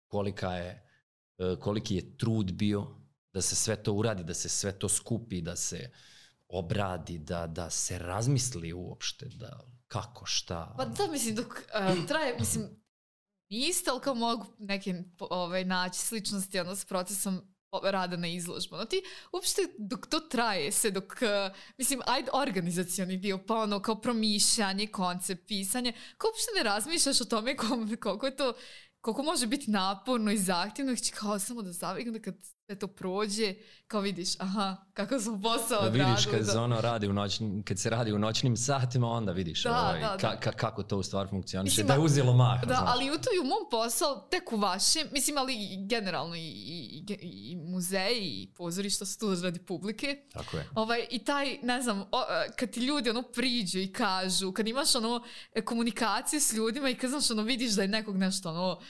kolika je, koliki je trud bio da se sve to uradi, da se sve to skupi, da se obradi, da, da se razmisli uopšte, da kako, šta. Pa da, mislim, dok uh, traje, mislim, isto, ali kao mogu neke ovaj, naći sličnosti ono, s procesom rada na izložbu. No ti uopšte dok to traje se, dok, uh, mislim, ajde organizacioni dio, pa ono kao promišljanje, koncept, pisanje, kao uopšte ne razmišljaš o tome koliko je to, koliko može biti naporno i zahtjevno, znači kao samo da zavrigam da kad sve to prođe, kao vidiš, aha, kako sam posao odradili. Da vidiš kad, da. Ono radi u noćnim, kad se radi u noćnim satima, onda vidiš da, ovaj, da, da. Ka, kako to u stvari funkcioniše, mislim, da je uzelo mah. Da, znaš. Ali u to i u mom posao, tek u vašem, mislim, ali generalno i, i, i, i muzeji i pozorišta su tu radi publike. Tako je. Ovaj, I taj, ne znam, o, kad ti ljudi ono priđu i kažu, kad imaš ono komunikaciju s ljudima i kad znaš ono vidiš da je nekog nešto ono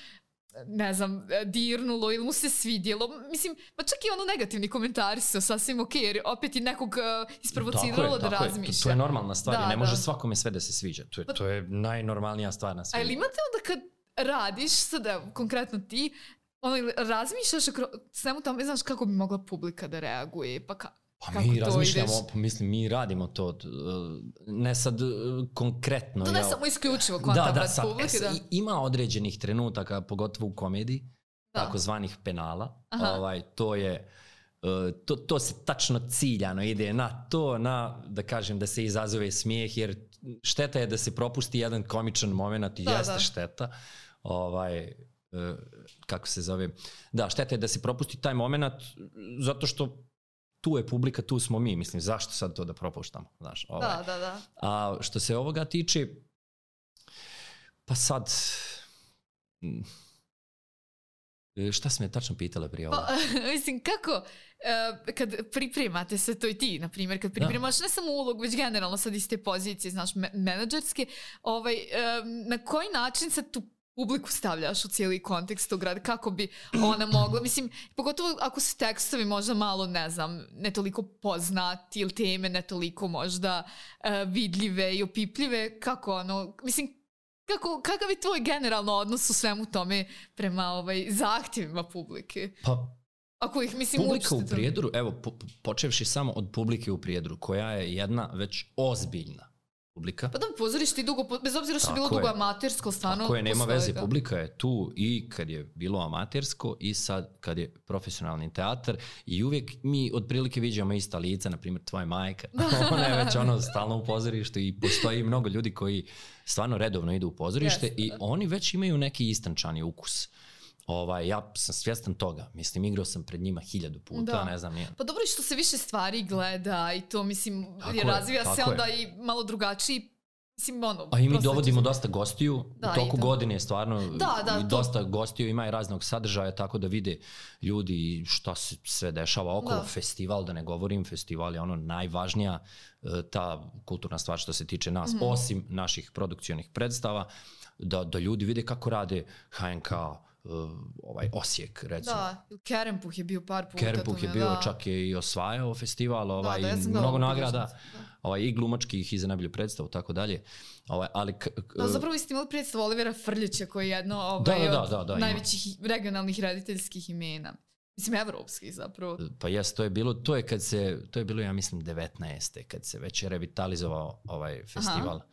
ne znam, dirnulo ili mu se svidjelo. Mislim, pa čak i ono negativni komentari su sasvim ok, jer opet i nekog uh, isprovociralo da razmišlja. To, to je normalna stvar, da, ne može da. Svakome sve da se sviđa. To je, pa, to je najnormalnija stvar na svijetu. Ali imate onda kad radiš, sada konkretno ti, ono, razmišljaš o svemu tamo, znaš kako bi mogla publika da reaguje, pa ka, Pa kako mi razmišljamo, pa mislim, mi radimo to, ne sad konkretno. To ne ja, samo isključivo kontakt da, da, publike. Da. Ima određenih trenutaka, pogotovo u komediji, da. Takozvanih penala. Ovaj, to je, to, to se tačno ciljano ide na to, na, da kažem, da se izazove smijeh, jer šteta je da se propusti jedan komičan moment i da, jeste da. Šteta. Ovaj, kako se zove? Da, šteta je da se propusti taj moment, zato što tu je publika, tu smo mi, mislim, zašto sad to da propuštamo, znaš, ovaj. Da, da, da. A što se ovoga tiče, pa sad, šta si me tačno pitala prije ovoga? Pa, mislim, kako, uh, kad pripremate se, to i ti, na primjer, kad pripremaš da. Ne samo ulog, već generalno sad iz te pozicije, znaš, menadžerske, ovaj, um, na koji način se tu publiku stavljaš u cijeli kontekst tog rada, kako bi ona mogla, mislim, pogotovo ako su tekstovi možda malo, ne znam, ne toliko poznati ili teme ne toliko možda uh, vidljive i opipljive, kako ono, mislim, kako, kakav je tvoj generalno odnos u svemu tome prema ovaj, zahtjevima publike? Pa, ako ih, mislim, publika u Prijedoru, evo, po, počevši samo od publike u Prijedoru, koja je jedna već ozbiljna publika. Pa da, pozorište i dugo, bez obzira što je bilo dugo amatersko, stvarno. Tako je, nema veze, publika je tu i kad je bilo amatersko i sad kad je profesionalni teatar i uvijek mi otprilike viđamo ista lica, na primjer tvoja majka, ona je već ono stalno u pozorištu i postoji mnogo ljudi koji stvarno redovno idu u pozorište yes, i da. Oni već imaju neki istančani ukus. Ovaj, ja sam svjestan toga, mislim, igrao sam pred njima hiljadu puta, da. Ne znam nije. Pa dobro je što se više stvari gleda i to, mislim, je, razvija se onda je. I malo drugačiji, mislim, ono... A i mi dovodimo dosta gostiju, da, u toku godine stvarno da, da, i dosta to... gostiju ima i raznog sadržaja, tako da vide ljudi šta se sve dešava okolo, da. Festival, da ne govorim, festival je ono najvažnija ta kulturna stvar što se tiče nas, mm. osim naših produkcionih predstava, da, da ljudi vide kako rade ha en ka, Uh, ovaj Osijek, recimo. Da, Kerempuh je bio par puta. Kerempuh je bio, da. Čak je i osvajao festival, ovaj, da, da, ja mnogo nagrada, ovaj, i glumačkih i za najbolju predstavu, tako dalje. Ovaj, ali k- k- da, zapravo ste imali predstavu Olivera Frljića, koji je jedno ovaj, da, da, da, da, da, od najvećih ima. Regionalnih rediteljskih imena. Mislim, evropskih zapravo. Pa jes, to je bilo, to je kad se, to je bilo, ja mislim, devetnaeste kad se već revitalizovao ovaj festival. Aha.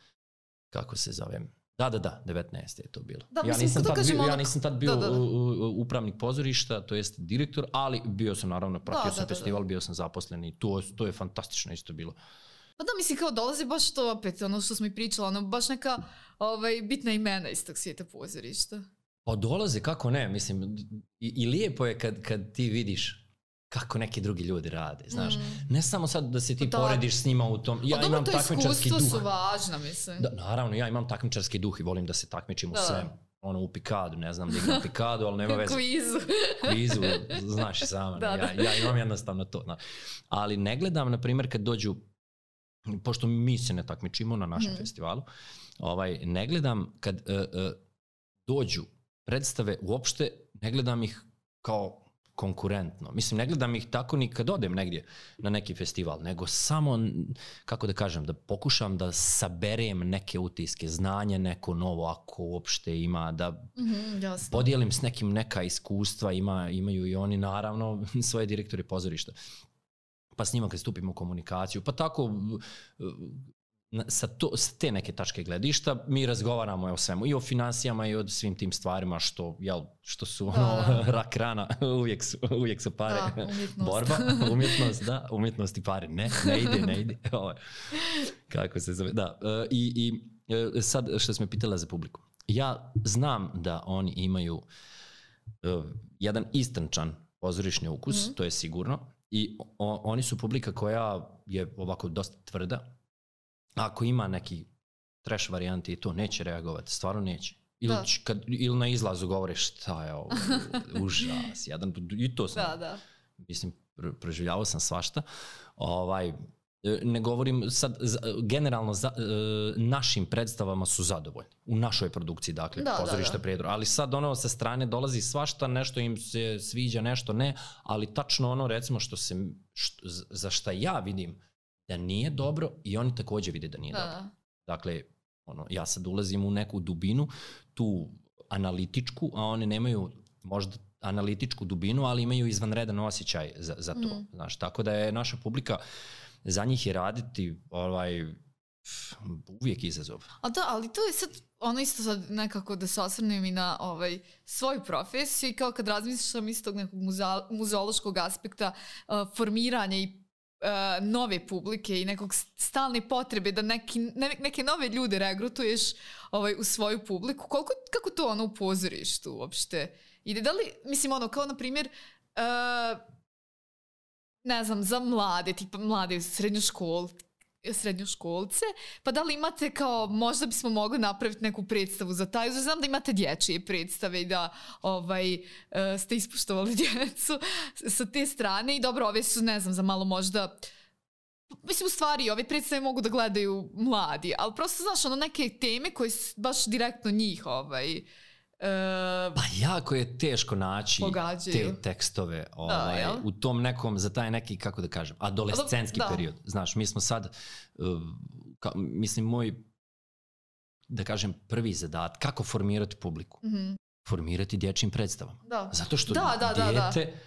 Kako se zove? Da, da, da, devetnaeste je to bilo. Da, ja, nisam tad bio, ono... ja nisam tad bio da, da, da. upravnik pozorišta, to jest direktor, ali bio sam naravno, pratio da, sam da, festival, da, da. Bio sam zaposlen i to, to je fantastično isto bilo. Pa da, mislim, kao dolazi baš to opet, ono što smo i pričali, ono baš neka ovaj, bitna imena iz tog svijeta pozorišta. Pa dolaze, kako ne, mislim, i, i lijepo je kad, kad ti vidiš kako neki drugi ljudi rade, znaš. Mm. Ne samo sad da se ti da. Porediš s njima u tom... Ja a imam takmičarski duh. Su važna, mislim. Da, naravno, ja imam takmičarski duh i volim da se takmičim u svem. Ono, u pikadu, ne znam da igram pikadu, ali nema veze. Kvizu. Kvizu, znaš i sama. Da, ja, da. Ja imam jednostavno to. Na. Ali ne gledam, na primjer, kad dođu, pošto mi se ne takmičimo na našem mm. festivalu, ovaj, ne gledam kad... Uh, uh, dođu predstave, uopšte ne gledam ih kao konkurentno. Mislim, ne gledam ih tako ni kad odem negdje na neki festival, nego samo, kako da kažem, da pokušam da saberem neke utiske, znanje neko novo, ako uopšte ima, da mm-hmm, podijelim s nekim neka iskustva, ima, imaju i oni naravno svoje direktore pozorišta. Pa s njima kad stupimo u komunikaciju, pa tako sa, to, sa te neke tačke gledišta mi razgovaramo o svemu, i o finansijama i o svim tim stvarima što, jel, što su ono, da, da. rak rana, uvijek su, uvijek su pare, da, borba, umjetnost, da, umjetnost i pare, ne, ne ide, ne ide, kako se zove, da, i, i sad što smo pitala za publiku, ja znam da oni imaju uh, jedan istančan pozorišni ukus, mm-hmm. to je sigurno, i o, oni su publika koja je ovako dosta tvrda. Ako ima neki trash varijanti i to, neće reagovati, stvarno neće. Ili, kad, ili na izlazu govore šta je ovo, užas, jedan, i to sam, da, da. mislim, proživljavao sam svašta. Ovaj, ne govorim sad, generalno za, našim predstavama su zadovoljni. U našoj produkciji, dakle, da, pozorište da, da. Prijedor. Ali sad ono sa strane dolazi svašta, nešto im se sviđa, nešto ne, ali tačno ono, recimo, što se, što, za šta ja vidim da nije dobro, i oni također vide da nije da. dobro. Dakle, ono, ja sad ulazim u neku dubinu, tu analitičku, a oni nemaju možda analitičku dubinu, ali imaju izvanredan osjećaj za, za to. Mm. Znaš, tako da je naša publika, za njih je raditi ovaj, uvijek izazov. A da, ali to je sad ono isto sad nekako da se osvrnem i na ovaj, svoju profesiju, i kao kad razmišljam iz tog nekog muza, muzeološkog aspekta, uh, formiranja i Uh, nove publike i nekog stalne potrebe da neki, ne, neke nove ljude regrutuješ ovaj, u svoju publiku. Koliko, kako to ono u pozorištu uopšte ide? Da li, mislim, ono, kao na primjer, uh, ne znam, za mlade, tipa mlade srednjoškol, srednjoškolce, pa da li imate kao, možda bismo mogli napraviti neku predstavu za taj, znam da imate dječje predstave i da ovaj, uh, ste ispuštovali djecu sa te strane, i dobro, ove su, ne znam, za malo možda, mislim, u stvari, ove predstave mogu da gledaju mladi, ali prosto, znaš, ono, neke teme koje su baš direktno njih, ovaj, Uh, pa jako je teško naći pogađaju. te tekstove ovaj, da, u tom nekom, za taj neki, kako da kažem, adolescentski da. period. Znaš, mi smo sad, uh, ka, mislim, moj, da kažem, prvi zadat, kako formirati publiku? Mm-hmm. Formirati dječjim predstavama. Da. Zato što da, da, dijete, da, da.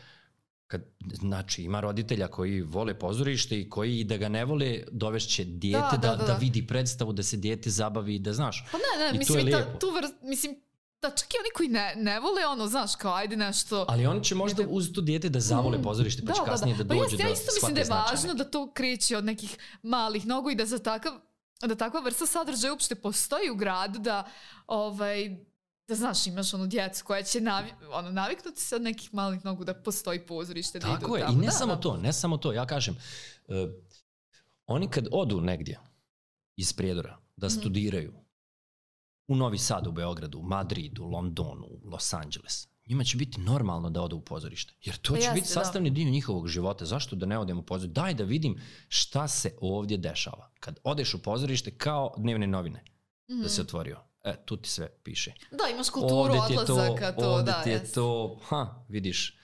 Kad, znači, ima roditelja koji vole pozorište i koji da ga ne vole, dovešće dijete da, da, da, da. da vidi predstavu, da se dijete zabavi, da znaš. Pa ne, ne, I mislim, to je ta, tu vrst, mislim, da, čak i oni koji ne, ne vole, ono, znaš, kao, ajde nešto... Ali oni će možda dijete... uz to dijete da zavole pozorište, pa će da, kasnije da, da. da dođe pa ja do isto mislim da je važno da to kreće od nekih malih nogu i da za takav, da takva vrsta sadržaja uopšte postoji u gradu, da, ovaj, da znaš, imaš onu djecu koja će navi, ono, naviknuti se od nekih malih nogu da postoji pozorište. Da tako idu je, tamo. I ne da, samo da. to, ne samo to, ja kažem, uh, oni kad odu negdje iz Prijedora da mm-hmm. studiraju, u Novi Sad, u Beogradu, u Madridu, u Londonu, u Los Angeles, njima će biti normalno da odu u pozorište. Jer to pa će jeste, biti sastavni da. dio njihovog života. Zašto da ne odem u pozorište? Daj da vidim šta se ovdje dešava. Kad odeš u pozorište, kao dnevne novine, mm-hmm. da se otvorio. E, tu ti sve piše. Da, imaš kulturu odlazaka. To, ovdje da, ti je jest. to, ha, vidiš,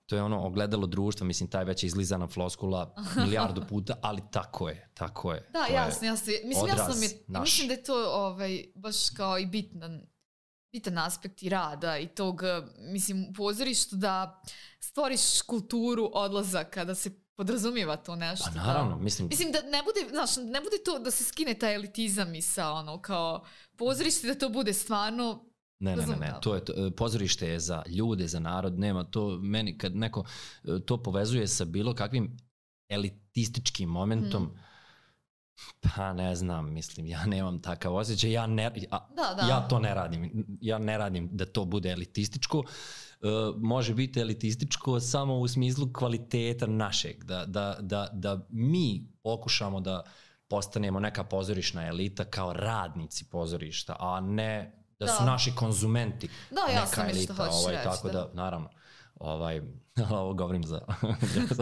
to je ono ogledalo društva, mislim, taj već je izlizana floskula milijardu puta, ali tako je, tako je. Da, jasno, jasno. Mislim, jasno mi je, mislim da je to ovaj, baš kao i bitan, bitan aspekt i rada i tog, mislim, u pozorištu da stvoriš kulturu odlazaka, da se podrazumijeva to nešto. Pa naravno, da, mislim... Mislim da ne bude, znaš, ne bude to da se skine taj elitizam i sa ono, kao pozorište, da to bude stvarno... Ne, ne, ne, ne, to je, to, pozorište je za ljude, za narod, nema to, meni kad neko to povezuje sa bilo kakvim elitističkim momentom, hmm. pa ne znam, mislim, ja nemam takav osjećaj, ja, ne, ja, da, da. ja to ne radim, ja ne radim da to bude elitističko, uh, može biti elitističko samo u smislu kvaliteta našeg, da, da, da, da mi pokušamo da postanemo neka pozorišna elita kao radnici pozorišta, a ne da su da. naši konzumenti da, neka jasno elita, što ovaj, reći, tako da, da naravno, ovaj, ovo govorim za,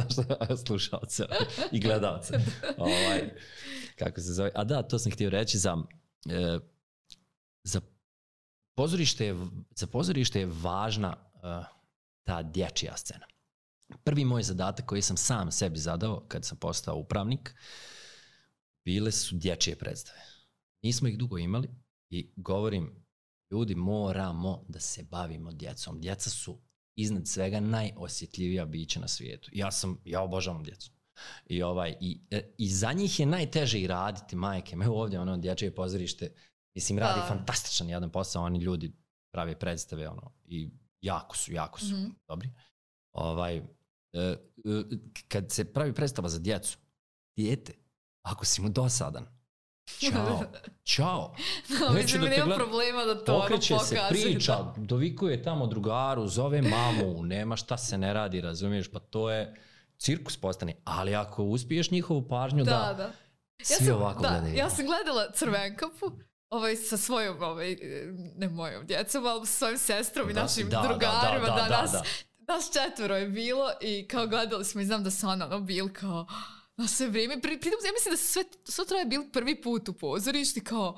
za slušalce i gledalce, ovaj, kako se zove, a da, to sam htio reći za, e, za pozorište je, za pozorište je važna uh, ta dječja scena. Prvi moj zadatak koji sam sam sebi zadao kad sam postao upravnik, bile su dječje predstave. Nismo ih dugo imali i govorim, ljudi, moramo da se bavimo djecom. Djeca su iznad svega najosjetljivija bića na svijetu. Ja sam, ja obožavam djecu. I, ovaj, i, i za njih je najteže i raditi, majke. Evo ovdje ono dječje pozorište, mislim, radi da. fantastičan jedan posao, oni ljudi prave predstave, ono, i jako su, jako su mm-hmm. dobri. Ovaj, e, e, kad se pravi predstava za djecu, dijete, ako si mu dosadan, Ćao, čao. No, mislim, da nema gleda... problema da to okreće ono se, priča, da. Dovikuje tamo drugaru, zove mamu, nema šta se ne radi, razumiješ, pa to je cirkus postane. Ali ako uspiješ njihovu pažnju da, da, da. svi ja sam, ovako da, gledaju. Ja sam gledala Crvenkapu ovaj, sa svojom, ovaj, ne mojom djecom, ali sa svojim sestrom i da, našim da, drugarima. Da, da, da, da, nas, da, da. nas četvoro je bilo i kao gledali smo i znam da sam ono bil kao... Na sve vrijeme, pri, pri, ja mislim da su sve, sve troje bili prvi put u pozorišti, kao,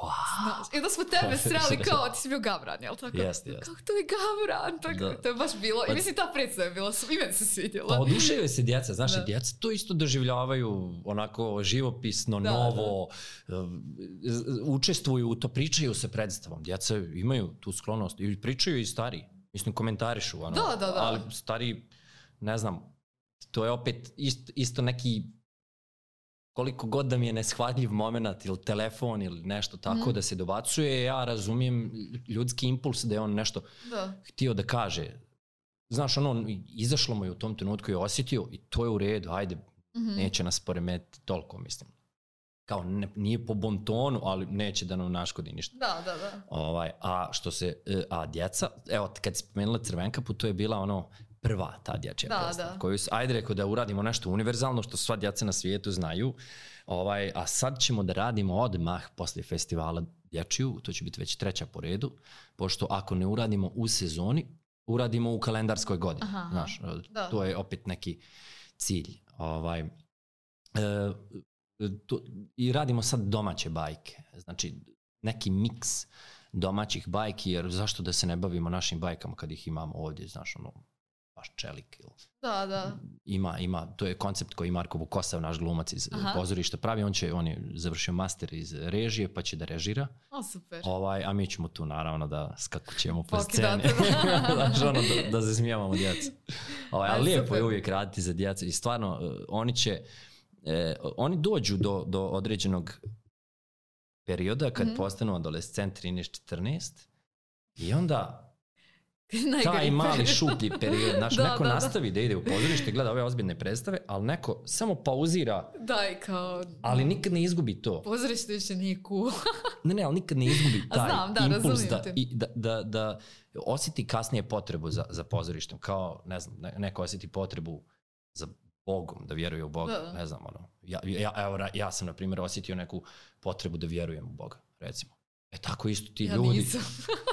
wow. Znaš, i da smo tebe sreli kao, ti si bio Gavran, jel tako? Jeste, jeste. Kako to je Gavran, tako, to je baš bilo, i mislim ta predstava je bila, i meni se svidjela. Pa oduševaju se djeca, znaš, da. Djeca to isto doživljavaju onako živopisno, da, novo, da. Učestvuju u to, pričaju se predstavom, djeca imaju tu sklonost, i pričaju i stariji, mislim, komentarišu, ono, da, da, da. Ali stariji, ne znam, to je opet isto, isto neki, koliko god da mi je neshvatljiv moment ili telefon ili nešto tako mm. da se dobacuje, ja razumijem ljudski impuls da je on nešto da. htio da kaže. Znaš, ono, izašlo mu je u tom trenutku i osjetio i to je u redu, ajde, mm-hmm. neće nas poremetiti toliko, mislim. Kao, ne, nije po bon tonu, ali neće da nam naškodi ništa. Da, da, da. Ovaj, a što se, a djeca, evo, kad si spomenula Crvenkapu, to je bila ono, prva ta dječja da, predstava, da. koju, ajde rekao da uradimo nešto univerzalno, što sva djeca na svijetu znaju, ovaj, a sad ćemo da radimo odmah poslije festivala dječju, to će biti već treća po redu, pošto ako ne uradimo u sezoni, uradimo u kalendarskoj godini. Aha, znaš, da. To je opet neki cilj. Ovaj, e, to, i radimo sad domaće bajke, znači neki miks domaćih bajki, jer zašto da se ne bavimo našim bajkama kad ih imamo ovdje, znaš, ono, baš čelik. Da, da. Ima, ima, to je koncept koji Marko Vukosav, naš glumac iz Aha. pozorišta pravi, on će, on je završio master iz režije, pa će da režira. O, super. Ovaj, a mi ćemo tu naravno da skakućemo po sceni. Znaš, ono, da, da zasmijavamo djecu. Ovaj, ali lijepo super. Je uvijek raditi za djecu i stvarno, oni će, eh, oni dođu do, do određenog perioda kad mm-hmm. postanu adolescent trinaest četrnaest i onda taj mali šuplji period, znaš, da, neko da, nastavi da. da ide u pozorište, gleda ove ozbiljne predstave, ali neko samo pauzira, Daj, kao... ali nikad ne izgubi to. Pozorište više nije cool. ne, ne, ali nikad ne izgubi taj znam, da, impuls da, i, da, da, da osjeti kasnije potrebu za, za pozorištem, kao, ne znam, neko osjeti potrebu za Bogom, da vjeruje u Boga, da. Ne znam, ono, ja, ja, evo, ja sam, na primjer, osjetio neku potrebu da vjerujem u Boga, recimo. E tako isto ti ja ljudi, nisam.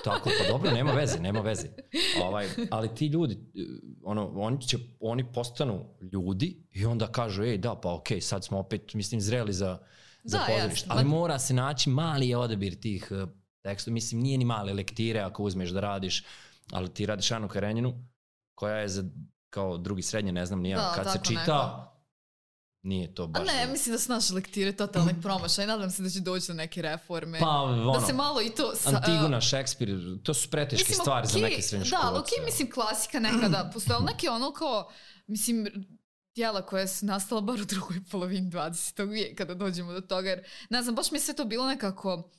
tako, pa dobro, nema veze, nema veze. Ovaj, ali ti ljudi, ono, oni, će, oni postanu ljudi i onda kažu, ej da, pa okej, okay, sad smo opet, mislim, zreli za, za pozorište. Ali mora se naći mali odabir tih uh, tekstova, mislim, nije ni male lektire ako uzmeš da radiš, ali ti radiš Anu Karenjinu, koja je za, kao drugi srednje, ne znam, nija, kad se čita... Neko. Nije to baš... A ne, mislim da su naše lektire totalni promašaj. Nadam se da će doći do neke reforme. Pa, ono, da se malo i to... Sa, Antigona, Šekspir, to su preteške mislim, stvari okay, za neke srednjoškolce. Da, ali okej, okay, mislim, klasika nekada postojala. Neke ono kao, mislim, djela koja su nastala bar u drugoj polovini dvadesetog vijeka, kada dođemo do toga. Jer, ne znam, baš mi sve to bilo nekako...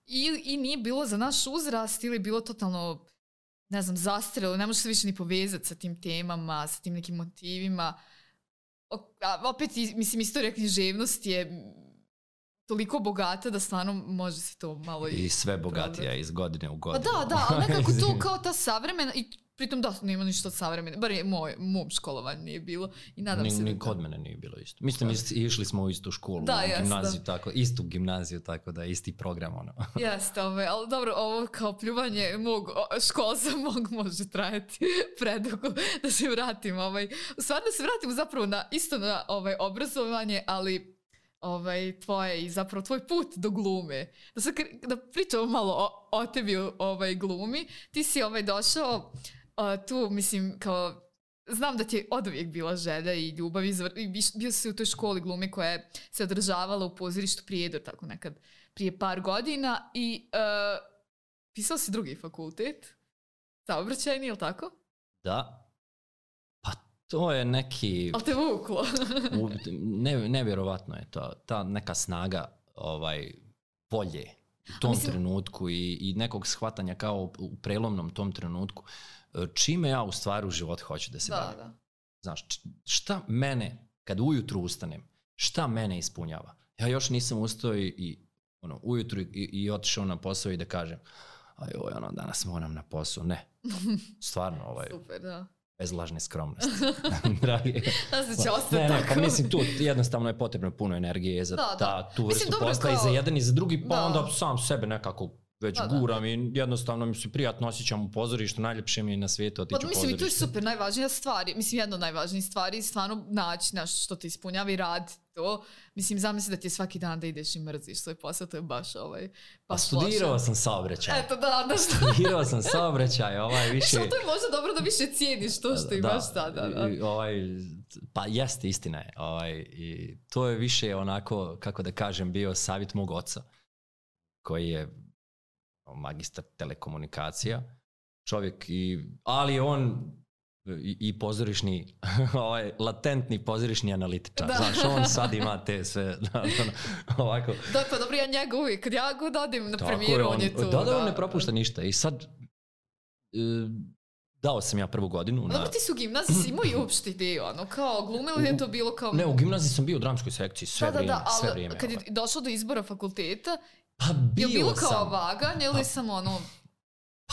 I, i nije bilo za naš uzrast ili bilo totalno, ne znam, zastarelo. Ne može se više ni povezati sa tim temama, sa tim nekim motivima. A opet, mislim, istorija književnosti je toliko bogata da stvarno može se to malo... I, I sve bogatija iz godine u godinu. Pa da, da, ali nekako to kao ta savremena, i pritom da, nema ništa od savremene, bar je moj, mom školovanju nije bilo i nadam ni, se... Ni kod mene nije bilo isto. Mislim, ist, išli smo u istu školu, da, u jest, gimnaziju, da. Tako, istu gimnaziju, tako da isti program, ono. Jeste, ove, ali dobro, ovo kao pljuvanje mog školstva mog može trajati predugo, da se vratim, ovaj, u stvari da se vratim zapravo na, isto na ovaj, obrazovanje, ali ovaj, tvoje i zapravo tvoj put do glume. Da, sad, da pričamo malo o, o tebi ovaj, glumi. Ti si ovaj, došao uh, tu, mislim, kao... Znam da ti je oduvijek bila želja i ljubav i bio si u toj školi glume koja je se održavala u pozorištu Prijedor, tako nekad prije par godina i uh, pisao si drugi fakultet, saobraćajni, je li tako? Da. Pa to je neki... Ali te vuklo. u, ne, nevjerovatno je to. Ta neka snaga ovaj, volje u tom mislim... trenutku i, i nekog shvatanja kao u prelomnom tom trenutku. Čime ja u stvari u životu hoću da se da, bavim. Da. Znaš, šta mene, kad ujutru ustanem, šta mene ispunjava? Ja još nisam ustao i, i ono, ujutru i, i otišao na posao i da kažem, ajoj, ono, danas moram na posao. Ne, stvarno, ovaj, super, da. Bez lažne skromnosti. Dragi. Da se će ostati ne, tako. Ne, pa mislim, tu jednostavno je potrebno puno energije za da, ta, da. tu vrstu mislim, posla kao... i za jedan i za drugi, pa da. onda sam sebe nekako već da, guram da. I jednostavno mi se prijatno osjećam u pozorištu, najljepše mi je na svijetu otići pa, u mislim, pozorište. Mislim, i to je super, najvažnija stvar, mislim, jedna od najvažnijih stvari, stvarno naći naš što te ispunjava i rad to. Mislim, zamisli da ti je svaki dan da ideš i mrziš svoj posao, to je baš ovaj... Pa studirao loša. sam saobraćaj. Eto, da, da što... Studirao sam saobraćaj, ovaj više... Što to je možda dobro da više cijeniš to što da, imaš sada. Da. I, ovaj, pa jeste, istina je. Ovaj, i to je više onako, kako da kažem, bio savjet mog oca, koji je magistar telekomunikacija, čovjek, i, ali on i, i pozorišni, ovaj, latentni pozorišni analitičar. Znaš, on sad ima te sve, ovako. Da, pa dobro, ja njega uvijek, kad ja god odim na premijeru, on, on je tu. Da, da, on ne propušta ništa. I sad, e, dao sam ja prvu godinu. Dobro, na... ti su u gimnaziji si imao i uopšte ideju, ono, kao glume ili je to bilo kao... Ne, u gimnaziji sam bio u dramskoj sekciji, sve da, vrijeme, da, da, sve ali vrijeme. Kad je došlo do izbora fakulteta, pa bilo je bilo kao sam. vaganje ili pa, sam ono...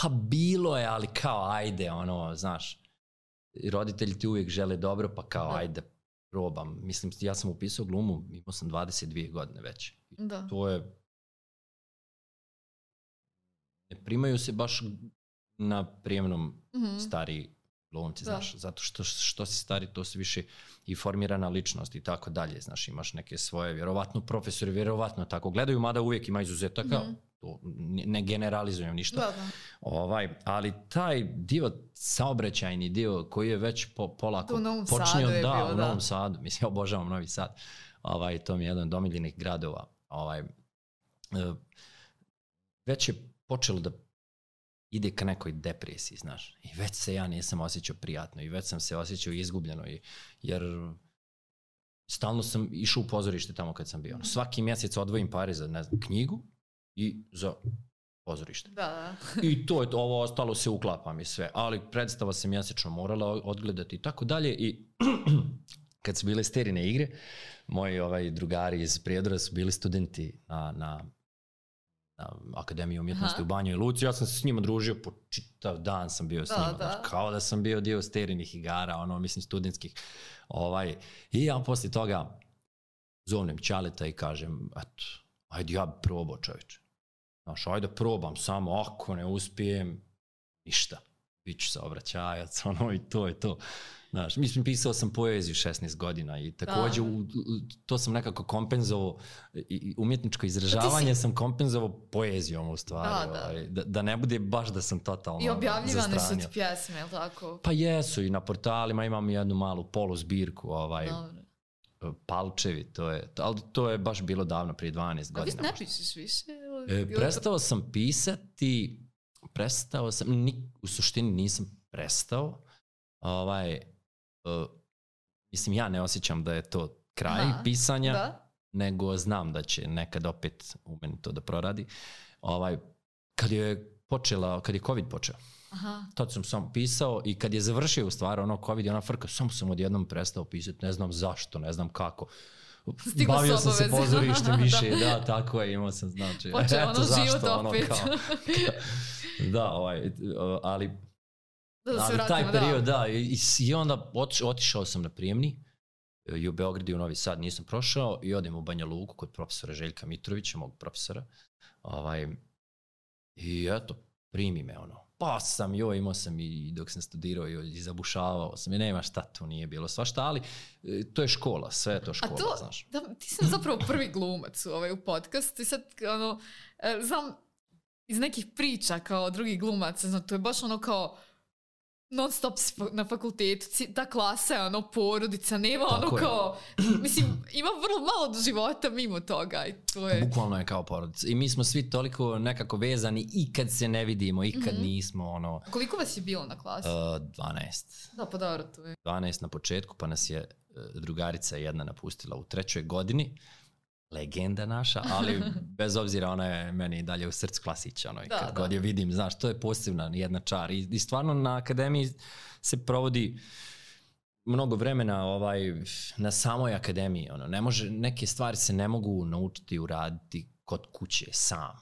Pa bilo je, ali kao ajde, ono, znaš, roditelji ti uvijek žele dobro, pa kao da. Ajde, probam. Mislim, ja sam upisao glumu, imao sam dvadeset dvije godine već. Da. To je... Ne primaju se baš na prijemnom mm-hmm. stariji glumci, znaš, zato što, što si stari, to se više i formirana ličnost i tako dalje, znaš, imaš neke svoje, vjerovatno profesori, vjerovatno tako gledaju, mada uvijek ima izuzetaka, mm-hmm. to ne generalizujem ništa, da, da. Ovaj, ali taj dio, saobraćajni dio koji je već po, polako počinio, da, bilo, u da. Novom Sadu, mislim, obožavam Novi Sad, ovaj, to mi je jedan od omiljenih gradova, ovaj, već je počelo da ide ka nekoj depresiji, znaš. I već se ja nisam osjećao prijatno i već sam se osjećao izgubljeno. I, jer stalno sam išao u pozorište tamo kad sam bio. Svaki mjesec odvojim pare za, ne znam, knjigu i za pozorište. Da. I to je to, ovo ostalo se uklapa mi sve. Ali predstava se mjesečno morala odgledati i tako dalje. I kad su bile Sterine igre, moji ovaj, drugari iz Prijedora su bili studenti na... na na Akademiju umjetnosti Aha. u Banjoj Luci, ja sam se s njima družio, po čitav dan sam bio s da, njima, da. Znaš, kao da sam bio dio Sterinih igara, ono, mislim, studentskih. Ovaj. I ja poslije toga zovnem Ćaleta i kažem, eto, ajde ja bi probao, čovječe. Znaš, ajde probam samo, ako ne uspijem, ništa. Biću saobraćajac, ono, i to je to. Znaš, mislim, pisao sam poeziju šesnaest godina i također u, to sam nekako kompenzovao, i umjetničko izražavanje si... sam kompenzovao poezijom u stvari. Da, ovaj, da. Da ne bude baš da sam totalno i objavljivane su ti pjesme, je li tako? Pa jesu, i na portalima imam jednu malu polu zbirku, ovaj, Palčevi, to je, ali to je baš bilo davno, prije dvanaest godina. A vi ne pišeš više? E, prestao sam pisati, prestao sam, ni, u suštini nisam prestao, ovaj, Uh, mislim, ja ne osjećam da je to kraj Aha, pisanja, da? Nego znam da će nekad opet u meni to da proradi. Ovaj, kad je počela, kad je COVID počeo, Aha. tad sam samo pisao i kad je završio u stvari ono COVID i ona frka, samo sam odjednom prestao pisati, ne znam zašto, ne znam kako. Stigla Bavio sam se pozorištem više, da. da, tako je, imao sam, znači, počeo eto ono zašto, život ono, opet. kao, da, ovaj, ali Da, da ali vratimo, taj period, da, da i, i onda otiš, otišao sam na prijemni i u Beogradu i u Novi Sad nisam prošao i odem u Banja Luku kod profesora Željka Mitrovića, mog profesora, ovaj, i eto, primi me ono, pa sam, joj, imao sam i dok sam studirao i zabušavao sam i nema šta tu nije bilo svašta, ali to je škola, sve je to škola, A to, znaš. Da, ti sam zapravo prvi glumac u, ovaj, u podcastu i sad, ono, znam iz nekih priča kao drugih glumaca, znam, to je baš ono kao non stop na fakultetu, ta klasa je ono porodica, nema ono Tako kao, je. Mislim, ima vrlo malo do života mimo toga i to je... Bukvalno je kao porodica i mi smo svi toliko nekako vezani i kad se ne vidimo, i kad mm-hmm. nismo ono... Koliko vas je bilo na klasi? Uh, dvanaest. Da, pa dobro, to je. dvanaest na početku, pa nas je uh, drugarica jedna napustila u trećoj godini. Legenda naša, ali bez obzira ona je meni dalje u srcu Klasića, ono, da, kad da. god je vidim, znaš, to je posebna jedna čar i, i stvarno na akademiji se provodi mnogo vremena ovaj, na samoj akademiji, ono, ne može, neke stvari se ne mogu naučiti uraditi kod kuće sam,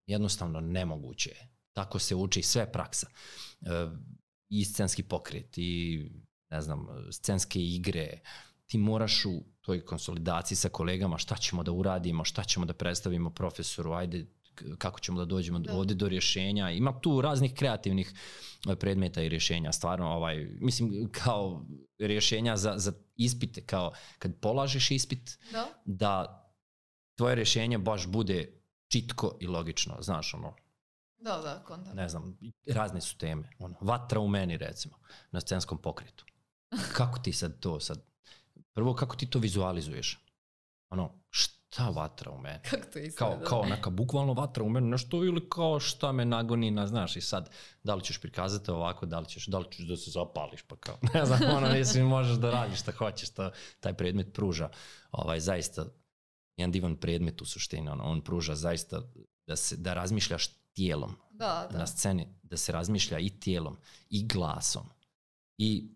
jednostavno nemoguće je, tako se uči sve praksa, e, i scenski pokret i ne znam, scenske igre, ti moraš u toj konsolidaciji sa kolegama šta ćemo da uradimo, šta ćemo da predstavimo profesoru, ajde kako ćemo da dođemo da. ovdje do rješenja. Ima tu raznih kreativnih predmeta i rješenja, stvarno, ovaj, mislim, kao rješenja za, za ispite, kao kad polažeš ispit, da, da tvoje rješenje baš bude čitko i logično, znaš, ono, da, da, konta. Ne znam, razne su teme, ono, vatra u meni, recimo, na scenskom pokretu. Kako ti sad to sad, prvo, kako ti to vizualizuješ? Ono, šta vatra u meni? Kako to izgleda? Kao, kao neka bukvalno vatra u meni, nešto ili kao šta me nagoni na, znaš, i sad, da li ćeš prikazati ovako, da li ćeš, da li ćeš da se zapališ, pa kao, ne znam, ono, mislim, možeš da radiš šta hoćeš, šta taj predmet pruža. Ovaj, zaista, jedan divan predmet u suštini, ono, on pruža zaista da, se, da razmišljaš tijelom da, da. na sceni, da se razmišlja i tijelom, i glasom, i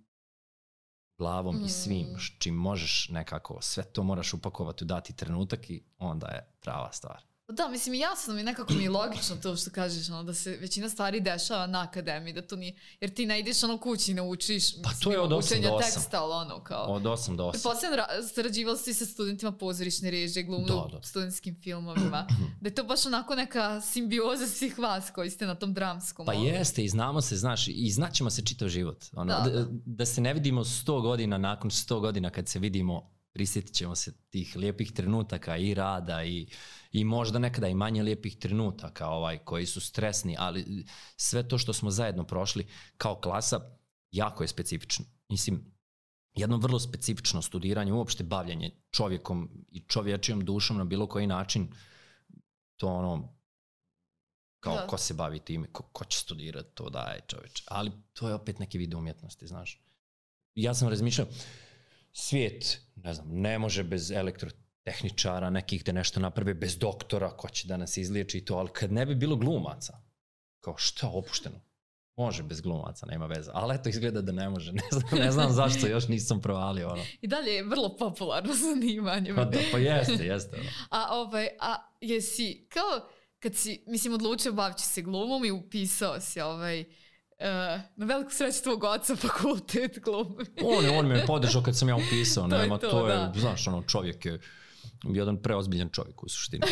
glavom mm. i svim, čim možeš nekako, sve to moraš upakovati u dati trenutak i onda je prava stvar. Da, mislim, jasno mi, nekako mi je logično to što kažeš, ono, da se većina stvari dešava na akademiji, da to nije, jer ti ne ideš ono kući i naučiš, pa to je od osam do osam. Teksta, ali ono kao... Od osam do osam. Posljedno sarađivali si sa studentima pozorišne režije, glumu u studentskim filmovima, da je to baš onako neka simbioza svih vas koji ste na tom dramskom. Pa ovo. Jeste, i znamo se, znaš, i znaćemo se čitav život. Ono, da, da. Da, da se ne vidimo sto godina, nakon sto godina kad se vidimo, prisjetit ćemo se tih lijepih trenutaka i rada i, i možda nekada i manje lijepih trenutaka ovaj, koji su stresni, ali sve to što smo zajedno prošli kao klasa jako je specifično. Mislim, jedno vrlo specifično studiranje, uopšte bavljanje čovjekom i čovječijom dušom na bilo koji način, to ono, kao da. Ko se bavi time, ko, ko će studirati, to daje čovječe. Ali to je opet neki vid umjetnosti, znaš. Ja sam razmišljao, svijet, ne znam, ne može bez elektrotehničara, nekih da nešto naprave, bez doktora, ko će da nas izliječi i to, ali kad ne bi bilo glumaca, kao šta opušteno? Može bez glumaca, nema veze. Ali eto, izgleda da ne može. Ne znam, ne znam zašto, još nisam provalio ono. I dalje je vrlo popularno zanimanje. Pa da, pa jeste, jeste. Ono. A, ovaj, a jesi, kao kad si, mislim, odlučio baviti se glumom i upisao si ovaj... Uh, na veliku sreću tvog oca fakultet glume. On, on me je podržao kad sam ja upisao. to nema, je to, to je, da. Znaš, ono, čovjek je jedan preozbiljan čovjek u suštini.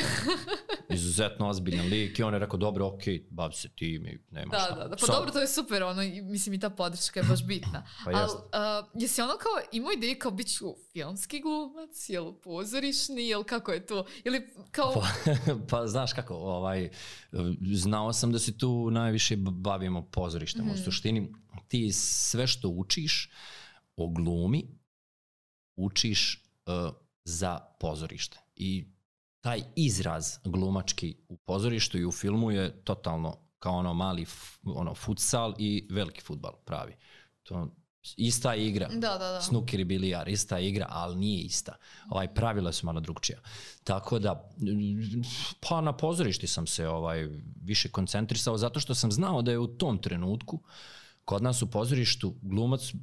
Izuzetno ozbiljan lik i on je rekao, dobro, okej, okay, bavi se tim i nema da, šta. Da, da, pa Sad... dobro, to je super, ono, mislim i ta podrška je baš bitna. pa Ali, uh, jesi ono kao imao ideje kao bit ću filmski glumac, jel pozorišni, jel kako je to? Ili kao... pa, pa znaš kako, ovaj, znao sam da se tu najviše bavimo pozorištem. Mm-hmm. U suštini, ti sve što učiš o glumi, učiš uh, za pozorište. I taj izraz glumački u pozorištu i u filmu je totalno kao ono mali ono futsal i veliki fudbal pravi. To ista igra. Da, da, da. Snooker i bilijar, ista igra, ali nije ista. Ovaj, pravila su malo drugčija. Tako da, pa na pozorišti sam se ovaj, više koncentrisao zato što sam znao da je u tom trenutku kod nas u pozorištu glumac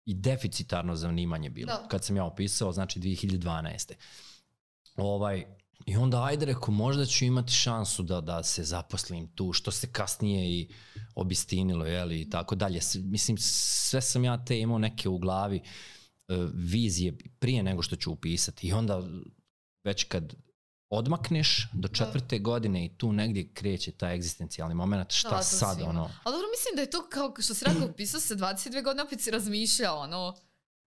i deficitarno zanimanje bilo. Da. Kad sam ja opisao, znači dvije hiljade dvanaeste. Ovaj, i onda ajde reko, možda ću imati šansu da, da se zaposlim tu, što se kasnije i obistinilo, jeli, i tako dalje. Mislim, sve sam ja te imao neke u glavi uh, vizije prije nego što ću upisati. I onda već kad odmakneš do četvrte da. godine i tu negdje kreće taj egzistencijalni moment, šta da, sad, ono... Ali dobro, mislim da je to, kao što si rekao, pisao se dvadeset dvije godine, opet si razmišljao, ono...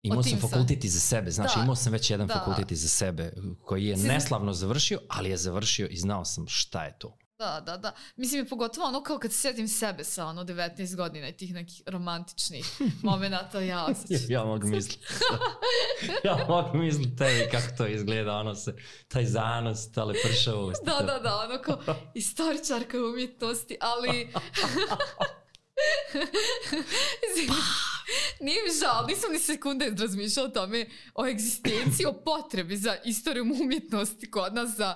Imao sam fakultet iza sebe, znači da. imao sam već jedan da. fakultet iza sebe koji je neslavno završio, ali je završio i znao sam šta je to. Da, da, da. Mislim je pogotovo ono kao kad se sjetim sebe sa ono devetnaest godina i tih nekih romantičnih momenata, ja osjećam. ja mogu misliti. ja mogu misliti tebi kako to izgleda, ono se, taj zanos, ta lepršavost. da, da, da, ono kao istoričarka umjetnosti, ali... Nije mi žal, nisam ni sekunde razmišljala o tome, o egzistenciji, o potrebi za istorijom umjetnosti kod nas, za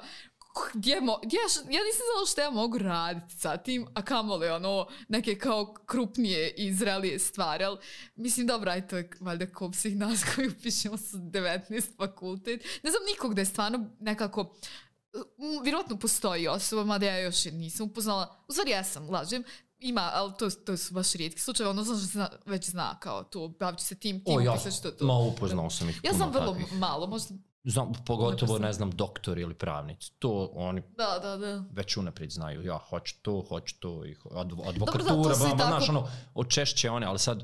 gdje mo, gdje, ja nisam znala što ja mogu raditi sa tim, a kamoli ono neke kao krupnije i zrelije stvari, ali mislim dobro, aj to je valjda ko svih nas koji upišemo sa devetnaest fakultet. Ne znam nikog da je stvarno nekako, vjerojatno postoji osoba, mada ja još nisam upoznala, u stvari ja sam, lažem, ima, ali to, to su baš rijetki slučaje, ono znam što se zna, već zna kao to, bavit će se tim, tim, o, ja, što to. Ma upoznao sam ih ja puno sam vrlo takvih. malo, možda... Znam, pogotovo, ne znam, doktori ili pravnici. To oni da, da, da. već unaprijed znaju. Ja hoću to, hoću to. I advokatura, ba, ba, znaš, ono, očešće one, ali sad...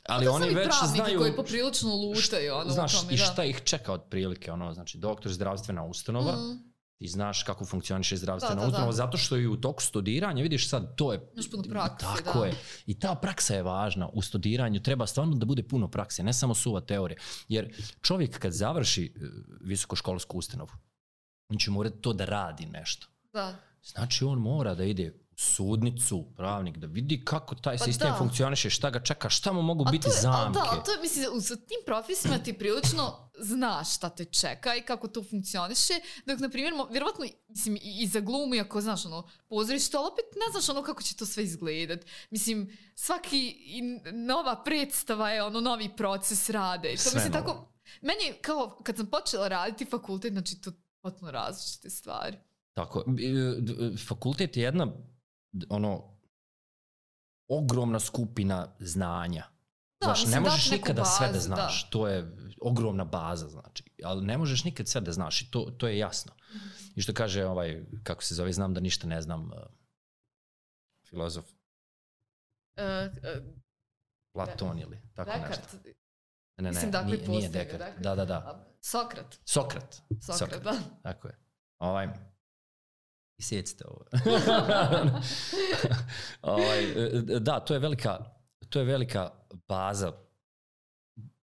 Ali da oni već znaju... koji poprilično lutaju. Ono, znaš, tome, i šta da. ih čeka od prilike, ono, znači, doktor, zdravstvena ustanova, mm. ti znaš kako funkcioniše zdravstvena da, da, ustanova, da. zato što i u toku studiranja, vidiš sad, to je... Još puno prakse, tako da. je. I ta praksa je važna. U studiranju treba stvarno da bude puno prakse, ne samo suva teorija. Jer čovjek kad završi visokoškolsku ustanovu, on će morati to da radi nešto. Da. Znači on mora da ide u sudnicu, pravnik, da vidi kako taj pa sistem da. funkcioniše, šta ga čeka, šta mu mogu a biti je, zamke. Da, ali to je, mislim, u tim profesijama ti prilično znaš šta te čeka i kako to funkcioniše, dok, na primjer, vjerovatno, mislim, i za glumu, ako znaš, ono, pozorište, ali opet ne znaš ono kako će to sve izgledat. Mislim, svaki nova predstava je ono novi proces rade. To, sve mislim, novo. Tako, meni, kao, kad sam počela raditi fakultet, znači, to potpuno različite stvari. Tako, fakultet je jedna ono ogromna skupina znanja. Da, znaš, ne možeš nikada bazu, sve da znaš. Da. To je ogromna baza, znači. Ali ne možeš nikad sve da znaš i to, to je jasno. Mm-hmm. I što kaže, ovaj, kako se zove, znam da ništa ne znam, uh, filozof. Uh, uh, Platon ili tako Descartes. nešto. Ne, ne, Mislim, dakle, nije, nije Descartes. Da, da, da. Sokrat. Sokrat. Sokrat, Sokrat. Da. Tako je. Ovaj... I sjecite ovo. ovaj, da, to je velika, to je velika baza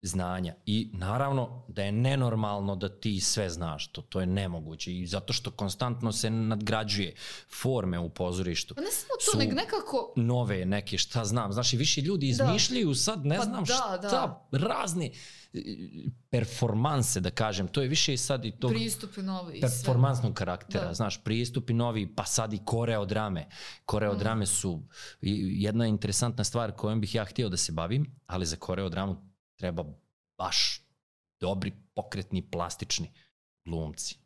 znanja i naravno da je nenormalno da ti sve znaš, to, to je nemoguće i zato što konstantno se nadgrađuje forme u pozorištu. Pa ne samo to, nek nekako... nove neke, šta znam, znaš i više ljudi izmišljaju da. sad, ne pa znam da, šta, da. razne performanse, da kažem, to je više sad i tog pristupi novi performansnog karaktera, da. znaš, pristupi novi, pa sad i koreodrame. Koreodrame mm. su jedna interesantna stvar kojom bih ja htio da se bavim, ali za koreodramu treba baš dobri, pokretni, plastični glumci.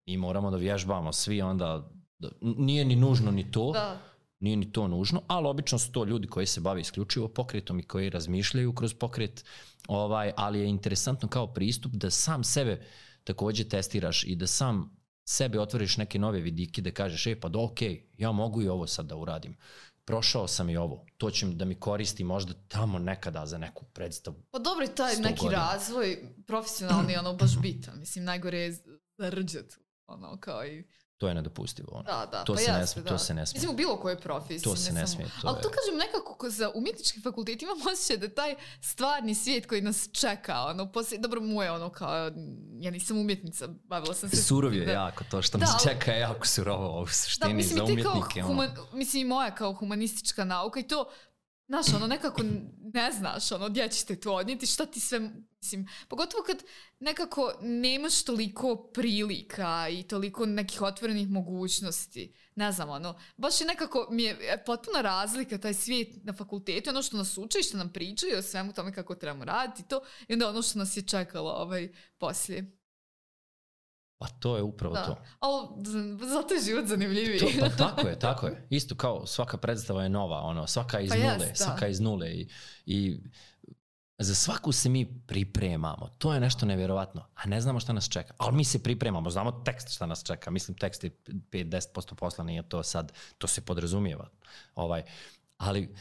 I moramo da vježbamo svi onda, da, nije ni nužno ni to, da. nije ni to nužno, ali obično su to ljudi koji se bave isključivo pokretom i koji razmišljaju kroz pokret, ovaj, ali je interesantno kao pristup da sam sebe također testiraš i da sam sebe otvoriš neke nove vidike, da kažeš, e pa da ok, ja mogu i ovo sad da uradim. Prošao sam i ovo, to će da mi koristi možda tamo nekada za neku predstavu. Pa dobro je taj neki godina. Razvoj profesionalni, ono baš bitan, mislim najgore je zarđat, ono kao i... To je nedopustivo. Ono. Da, da, to, pa se jasno, ne, da. to se ne smije. Mislim u bilo kojoj profesiji. To se ne, ne smije. Samo... To Ali je... to kažem nekako za umjetnički fakultet imam osjećaj da taj stvarni svijet koji nas čeka, ono, poslije, dobro mu je ono kao, ja nisam umjetnica, bavila sam se... Surov je da, jako, to što da, nas čeka je jako surovo u suštini da, mislim, za umjetnike. Human, ono. Mislim i moja kao humanistička nauka i to, znaš, ono, nekako ne znaš, ono, gdje ćete to odnijeti, šta ti sve, mislim, pogotovo kad nekako nemaš toliko prilika i toliko nekih otvorenih mogućnosti, ne znam, ono, baš je nekako, mi je potpuna razlika taj svijet na fakultetu, ono što nas uče i što nam pričaju o svemu tome kako trebamo raditi to, i onda ono što nas je čekalo ovaj, poslije. Pa to je upravo da. to. Ali zato je život zanimljiviji. To, pa tako je, tako je. Isto kao svaka predstava je nova, ono, svaka iz pa nule, jest, svaka iz nule. I, i za svaku se mi pripremamo. To je nešto nevjerovatno. A ne znamo šta nas čeka. Ali mi se pripremamo. Znamo tekst šta nas čeka. Mislim, tekst je pet do deset posto posla, nije to sad. To se podrazumijeva. Ovaj, ali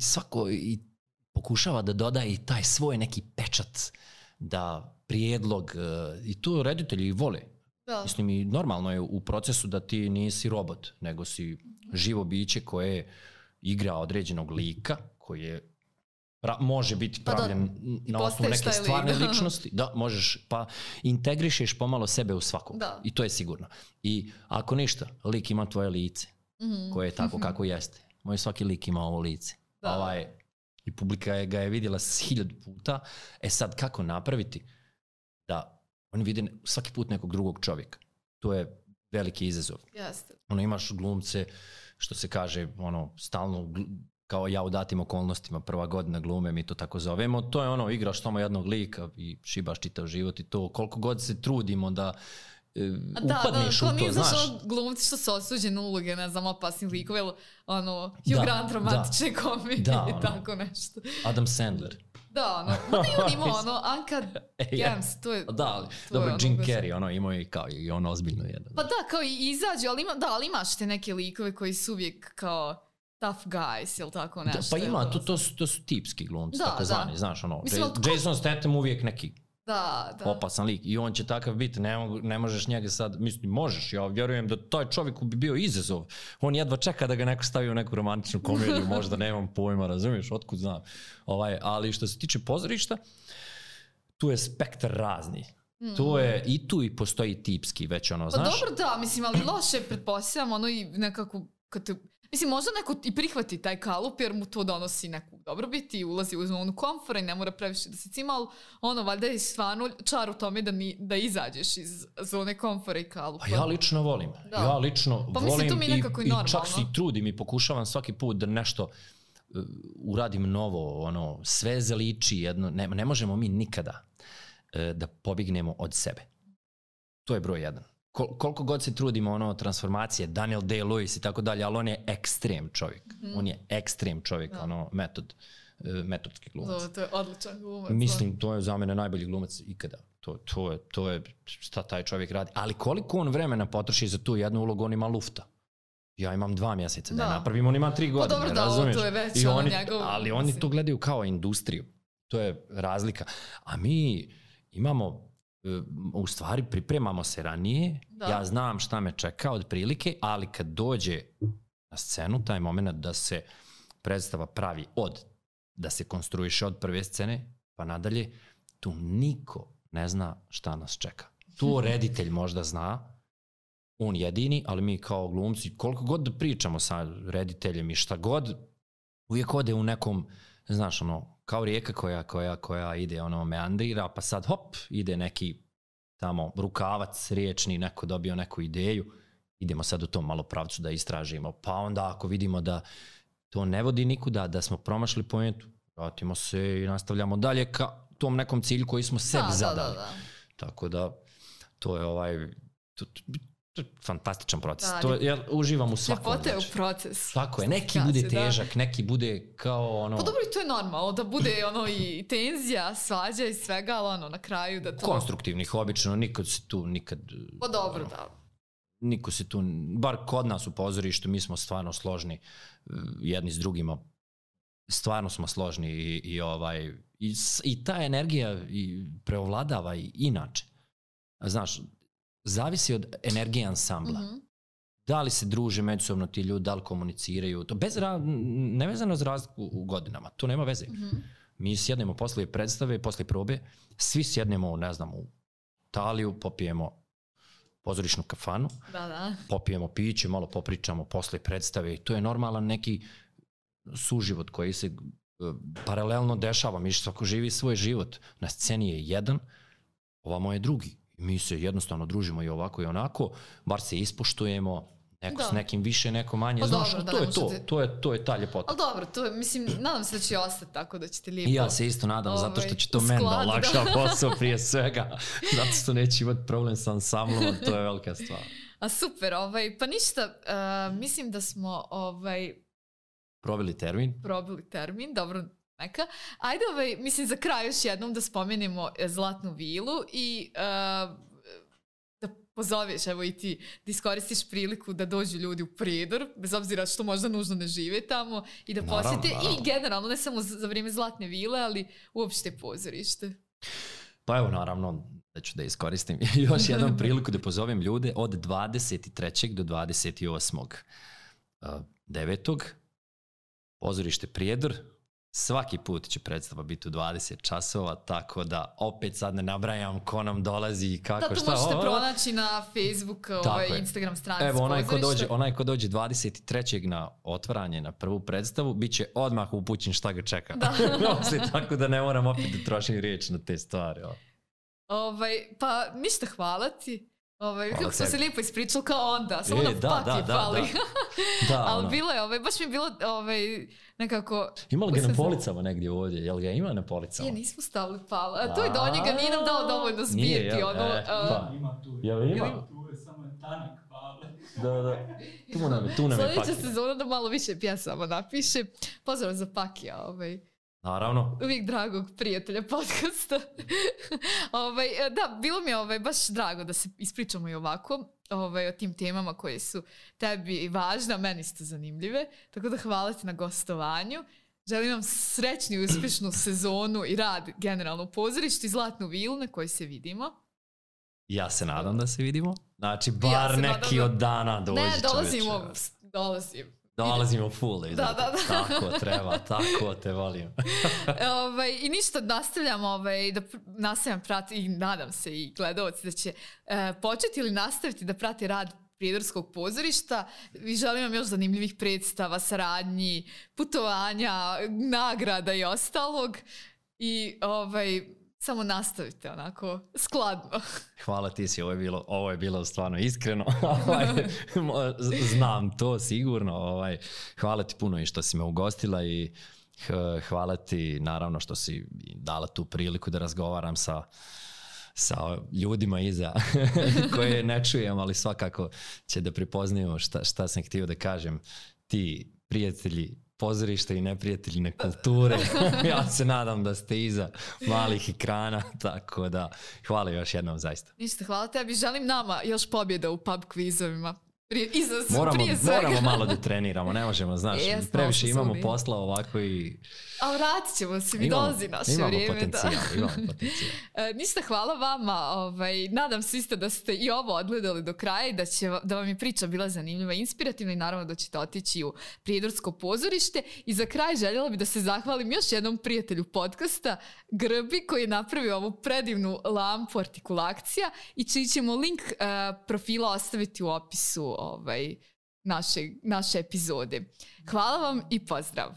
svako i pokušava da doda i taj svoj neki pečat, da prijedlog, i to reditelji vole. Da. Mislim, i normalno je u procesu da ti nisi robot, nego si živo biće koje igra određenog lika, koji je pra, može biti pravljen pa da, na osnovu neke stvarne ličnosti. Da, možeš, pa integrišeš pomalo sebe u svakog. Da. I to je sigurno. I ako ništa, lik ima tvoje lice, mm-hmm. koje je tako mm-hmm. kako jeste. Moj svaki lik ima ovo lice. Da. Ovaj, i publika je, ga je vidjela hiljadu puta. E sad, kako napraviti da oni vide svaki put nekog drugog čovjeka? To je veliki izazov. Jeste. Ono, imaš glumce, što se kaže, ono, stalno, kao ja u datim okolnostima, prva godina glume, mi to tako zovemo, to je ono, igraš samo jednog lika i šibaš čitav život i to, koliko god se trudimo da Uh, da, upadneš da, u to, znaš. Da, da, kao glumci što su osuđeni uloge, ne znam, opasnih likove, ili ono, Hugh Grant romantične da, komedije da, i tako ono, nešto. Adam Sandler. Da, ono, ma da i on imao, ono, Uncut Gems, to je... Da, ali, dobro, Jim ono, Carrey, ono, imao i kao i on ozbiljno jedan. Pa da, kao i izađe, ali, ima, da, ali imaš te neke likove koji su uvijek kao tough guys, ili tako nešto. Da, pa ima, to, to, su, to su tipski glumci, da, tako zvani, da. Znaš, ono, mislim, J- Jason Statham uvijek neki Da, da. opasan lik i on će takav biti, ne, ne možeš njega sad, mislim, možeš, ja vjerujem da taj čovjek bi bio izazov, on jedva čeka da ga neko stavi u neku romantičnu komediju, možda nemam pojma, razumiješ, otkud znam, ovaj, ali što se tiče pozorišta, tu je spektar razni, mm. tu je, i tu i postoji tipski već ono, pa znaš. Pa dobro da, mislim, ali loše pretpostavljam, ono i nekako, kad te, mislim, možda neko i prihvati taj kalup jer mu to donosi neku dobrobit i ulazi u zonu komfora i ne mora previše da se cima, ali ono, valjda je stvarno čar u tome da, ni, da izađeš iz zone komfora i kalupa. A ja lično volim. Da. Ja lično pa volim mislim, i, i čak se i trudim i pokušavam svaki put da nešto uh, uradim novo, ono, sve zaliči jedno, ne, ne možemo mi nikada uh, da pobignemo od sebe. To je broj jedan. Kol- koliko god se trudimo, ono, transformacije, Daniel Day-Lewis i tako dalje, ali on je ekstrem čovjek. Mm. On je ekstrem čovjek, da. ono, metod, metodski glumac. To, to je odličan glumac. Mislim, to je za mene najbolji glumac ikada. To, to, je, to je šta taj čovjek radi. Ali koliko on vremena potroši za tu jednu ulogu, on ima lufta. Ja imam dva mjeseca da, da je napravim, on ima tri godine, pa dobro, da, razumiješ? To je već I oni, njegov, ali oni mislim. To gledaju kao industriju. To je razlika. A mi imamo... u stvari pripremamo se ranije, da. Ja znam šta me čeka od prilike, ali kad dođe na scenu, taj moment da se predstava pravi od, da se konstruiše od prve scene, pa nadalje, tu niko ne zna šta nas čeka. Tu reditelj možda zna, on jedini, ali mi kao glumci, koliko god da pričamo sa rediteljem i šta god, uvijek ode u nekom, znaš, ono, kao rijeka koja, koja, koja ide, ono, meandira, pa sad, hop, ide neki tamo rukavac riječni, neko dobio neku ideju, idemo sad u tom malo pravcu da istražimo, pa onda ako vidimo da to ne vodi nikuda, da smo promašli pojentu, vratimo se i nastavljamo dalje ka tom nekom cilju koji smo sebi da, zadali. Da, da, da. Tako da, to je ovaj... To, to, fantastičan proces. Da, to je, ja uživam u svakom. Ljepote u proces. Tako je. Neki bude težak, da. Neki bude kao ono... Pa dobro, i to je normalno, da bude ono i tenzija, svađa i svega, ali ono na kraju da to... Konstruktivnih, obično, nikad se tu, nikad... Pa dobro, ono, da. Niko se tu, bar kod nas u pozorištu, mi smo stvarno složni jedni s drugima. Stvarno smo složni i, i, ovaj, i, i ta energija i preovladava i inače. Znaš, zavisi od energije ansambla. Mm-hmm. Da li se druže međusobno ti ljudi, da li komuniciraju, to bez ra- nevezano za razliku u godinama, to nema veze. Mm-hmm. Mi sjednemo posle predstave, posle probe, svi sjednemo, ne znam, u Italiju, popijemo pozorišnu kafanu, da, da. popijemo piće, malo popričamo posle predstave i to je normalan neki suživot koji se uh, paralelno dešava. Mi svako živi svoj život. Na sceni je jedan, ovamo je drugi. Mi se jednostavno družimo i ovako i onako, bar se ispoštujemo, neko da. S nekim više, neko manje, pa znaš, dobro, to, je to, te... to je to je ta ljepota. Ali dobro, to je, mislim, nadam se da će ostati tako, da ćete lijepo... I ja se isto nadam, ovaj, zato što će to meni da olakša posao prije svega, zato što neće imati problem sa ansamblom, to je velika stvar. A super, ovaj, pa ništa, uh, mislim da smo ovaj... Probili termin. Probili termin, dobro, neka. Ajde, ovaj, mislim, za kraj još jednom da spomenemo Zlatnu vilu i uh, da pozoveš, evo i ti, da iskoristiš priliku da dođu ljudi u Prijedor, bez obzira što možda nužno ne žive tamo, i da Naravno, posjete naravno. i generalno, ne samo za vrijeme Zlatne vile, ali uopšte pozorište. Pa evo, naravno, da ću da iskoristim još jednom priliku da pozovem ljude od dvadeset trećeg do dvadeset osmog devetog Pozorište Prijedor. Svaki put će predstava biti u dvadeset časova, tako da opet sad ne nabrajam ko nam dolazi i kako, da, šta. Da, to možete o, pronaći na Facebook, ovaj, Instagram stranici Evo, onaj ko, pozorišta. dođe, onaj ko dođe dvadeset trećeg na otvaranje, na prvu predstavu, bit će odmah upućen šta ga čeka. Da. Tako da ne moram opet da trošim riječ na te stvari. O. Ovaj, pa ništa, hvala ti. Ovaj, Hvala kako smo tebi. se lijepo ispričali kao onda, samo E, na da, pak da, je da, pali. da. Da, Ali ono. bilo je, ovaj, baš mi je bilo ovaj, nekako... Ima li ga na Uskazno. policama negdje ovdje? Jel ga ima na policama? Je, nismo stavili pala. A to je do njega, nije nam dao dovoljno zbirti. Nije, jel? Ono, E, uh, pa. Ima tu. Jel ima? Ima tu, je samo je tanak pale. Da, da. Tu nam je, tu nam je sljedeća paket. sezona da malo više pjesama napiše. Pozdrav za Pakija, ovaj. Naravno. Uvijek dragog prijatelja podcasta. ovaj, da, bilo mi je ovaj, baš drago da se ispričamo i ovako ovaj, o tim temama koje su tebi važne, a meni isto zanimljive. Tako da hvala ti na gostovanju. Želim vam srećnu i uspješnu sezonu i rad generalno u pozorištu i Zlatnu vilu na kojoj se vidimo. Ja se nadam da se vidimo. Znači, bar Ja se neki nadam da- od dana dođi, Ne, čoveče. dolazimo, dolazim. Dolazimo full. Da, Da, da, da. Tako treba, tako te volim. ovaj, I ništa, nastavljam ovaj, da pr- nastavljam prati i nadam se i gledalci da će e, početi ili nastaviti da prati rad Prijedorskog pozorišta i želim vam još zanimljivih predstava, saradnji, putovanja, nagrada i ostalog i ovaj, samo nastavite onako skladno. Hvala ti si, ovo je bilo, ovo je bilo stvarno iskreno. Ovaj, znam to sigurno. Ovaj, hvala ti puno i što si me ugostila i h- hvala ti naravno što si dala tu priliku da razgovaram sa sa ljudima iza koje ne čujem, ali svakako će da prepoznaju šta, šta sam htio da kažem. Ti prijatelji pozorišta i neprijatelji kulture, ja se nadam da ste iza malih ekrana, tako da hvala još jednom zaista. Ništa, hvala tebi. Želim nama još pobjeda u pub kvizovima. Prije, iza, Moramo, prije svega. moramo malo da treniramo, ne možemo, znaš, E, jasno, previše ovo su imamo sumi. posla ovako i... A vratit ćemo se, mi Imamo- dolazi naše imamo vrijeme. potencijal, Da. imamo potencijal. E, ništa, hvala vama. Ovaj, nadam se isto da ste i ovo odgledali do kraja i da, će, va- da vam je priča bila zanimljiva i inspirativna i naravno da ćete otići u Prijedorsko pozorište. I za kraj željela bih da se zahvalim još jednom prijatelju podcasta, Grbi, koji je napravio ovu predivnu lampu artikulakcija i čiji ćemo link e, profila ostaviti u opisu ovaj, naše, naše epizode. Hvala vam i pozdrav!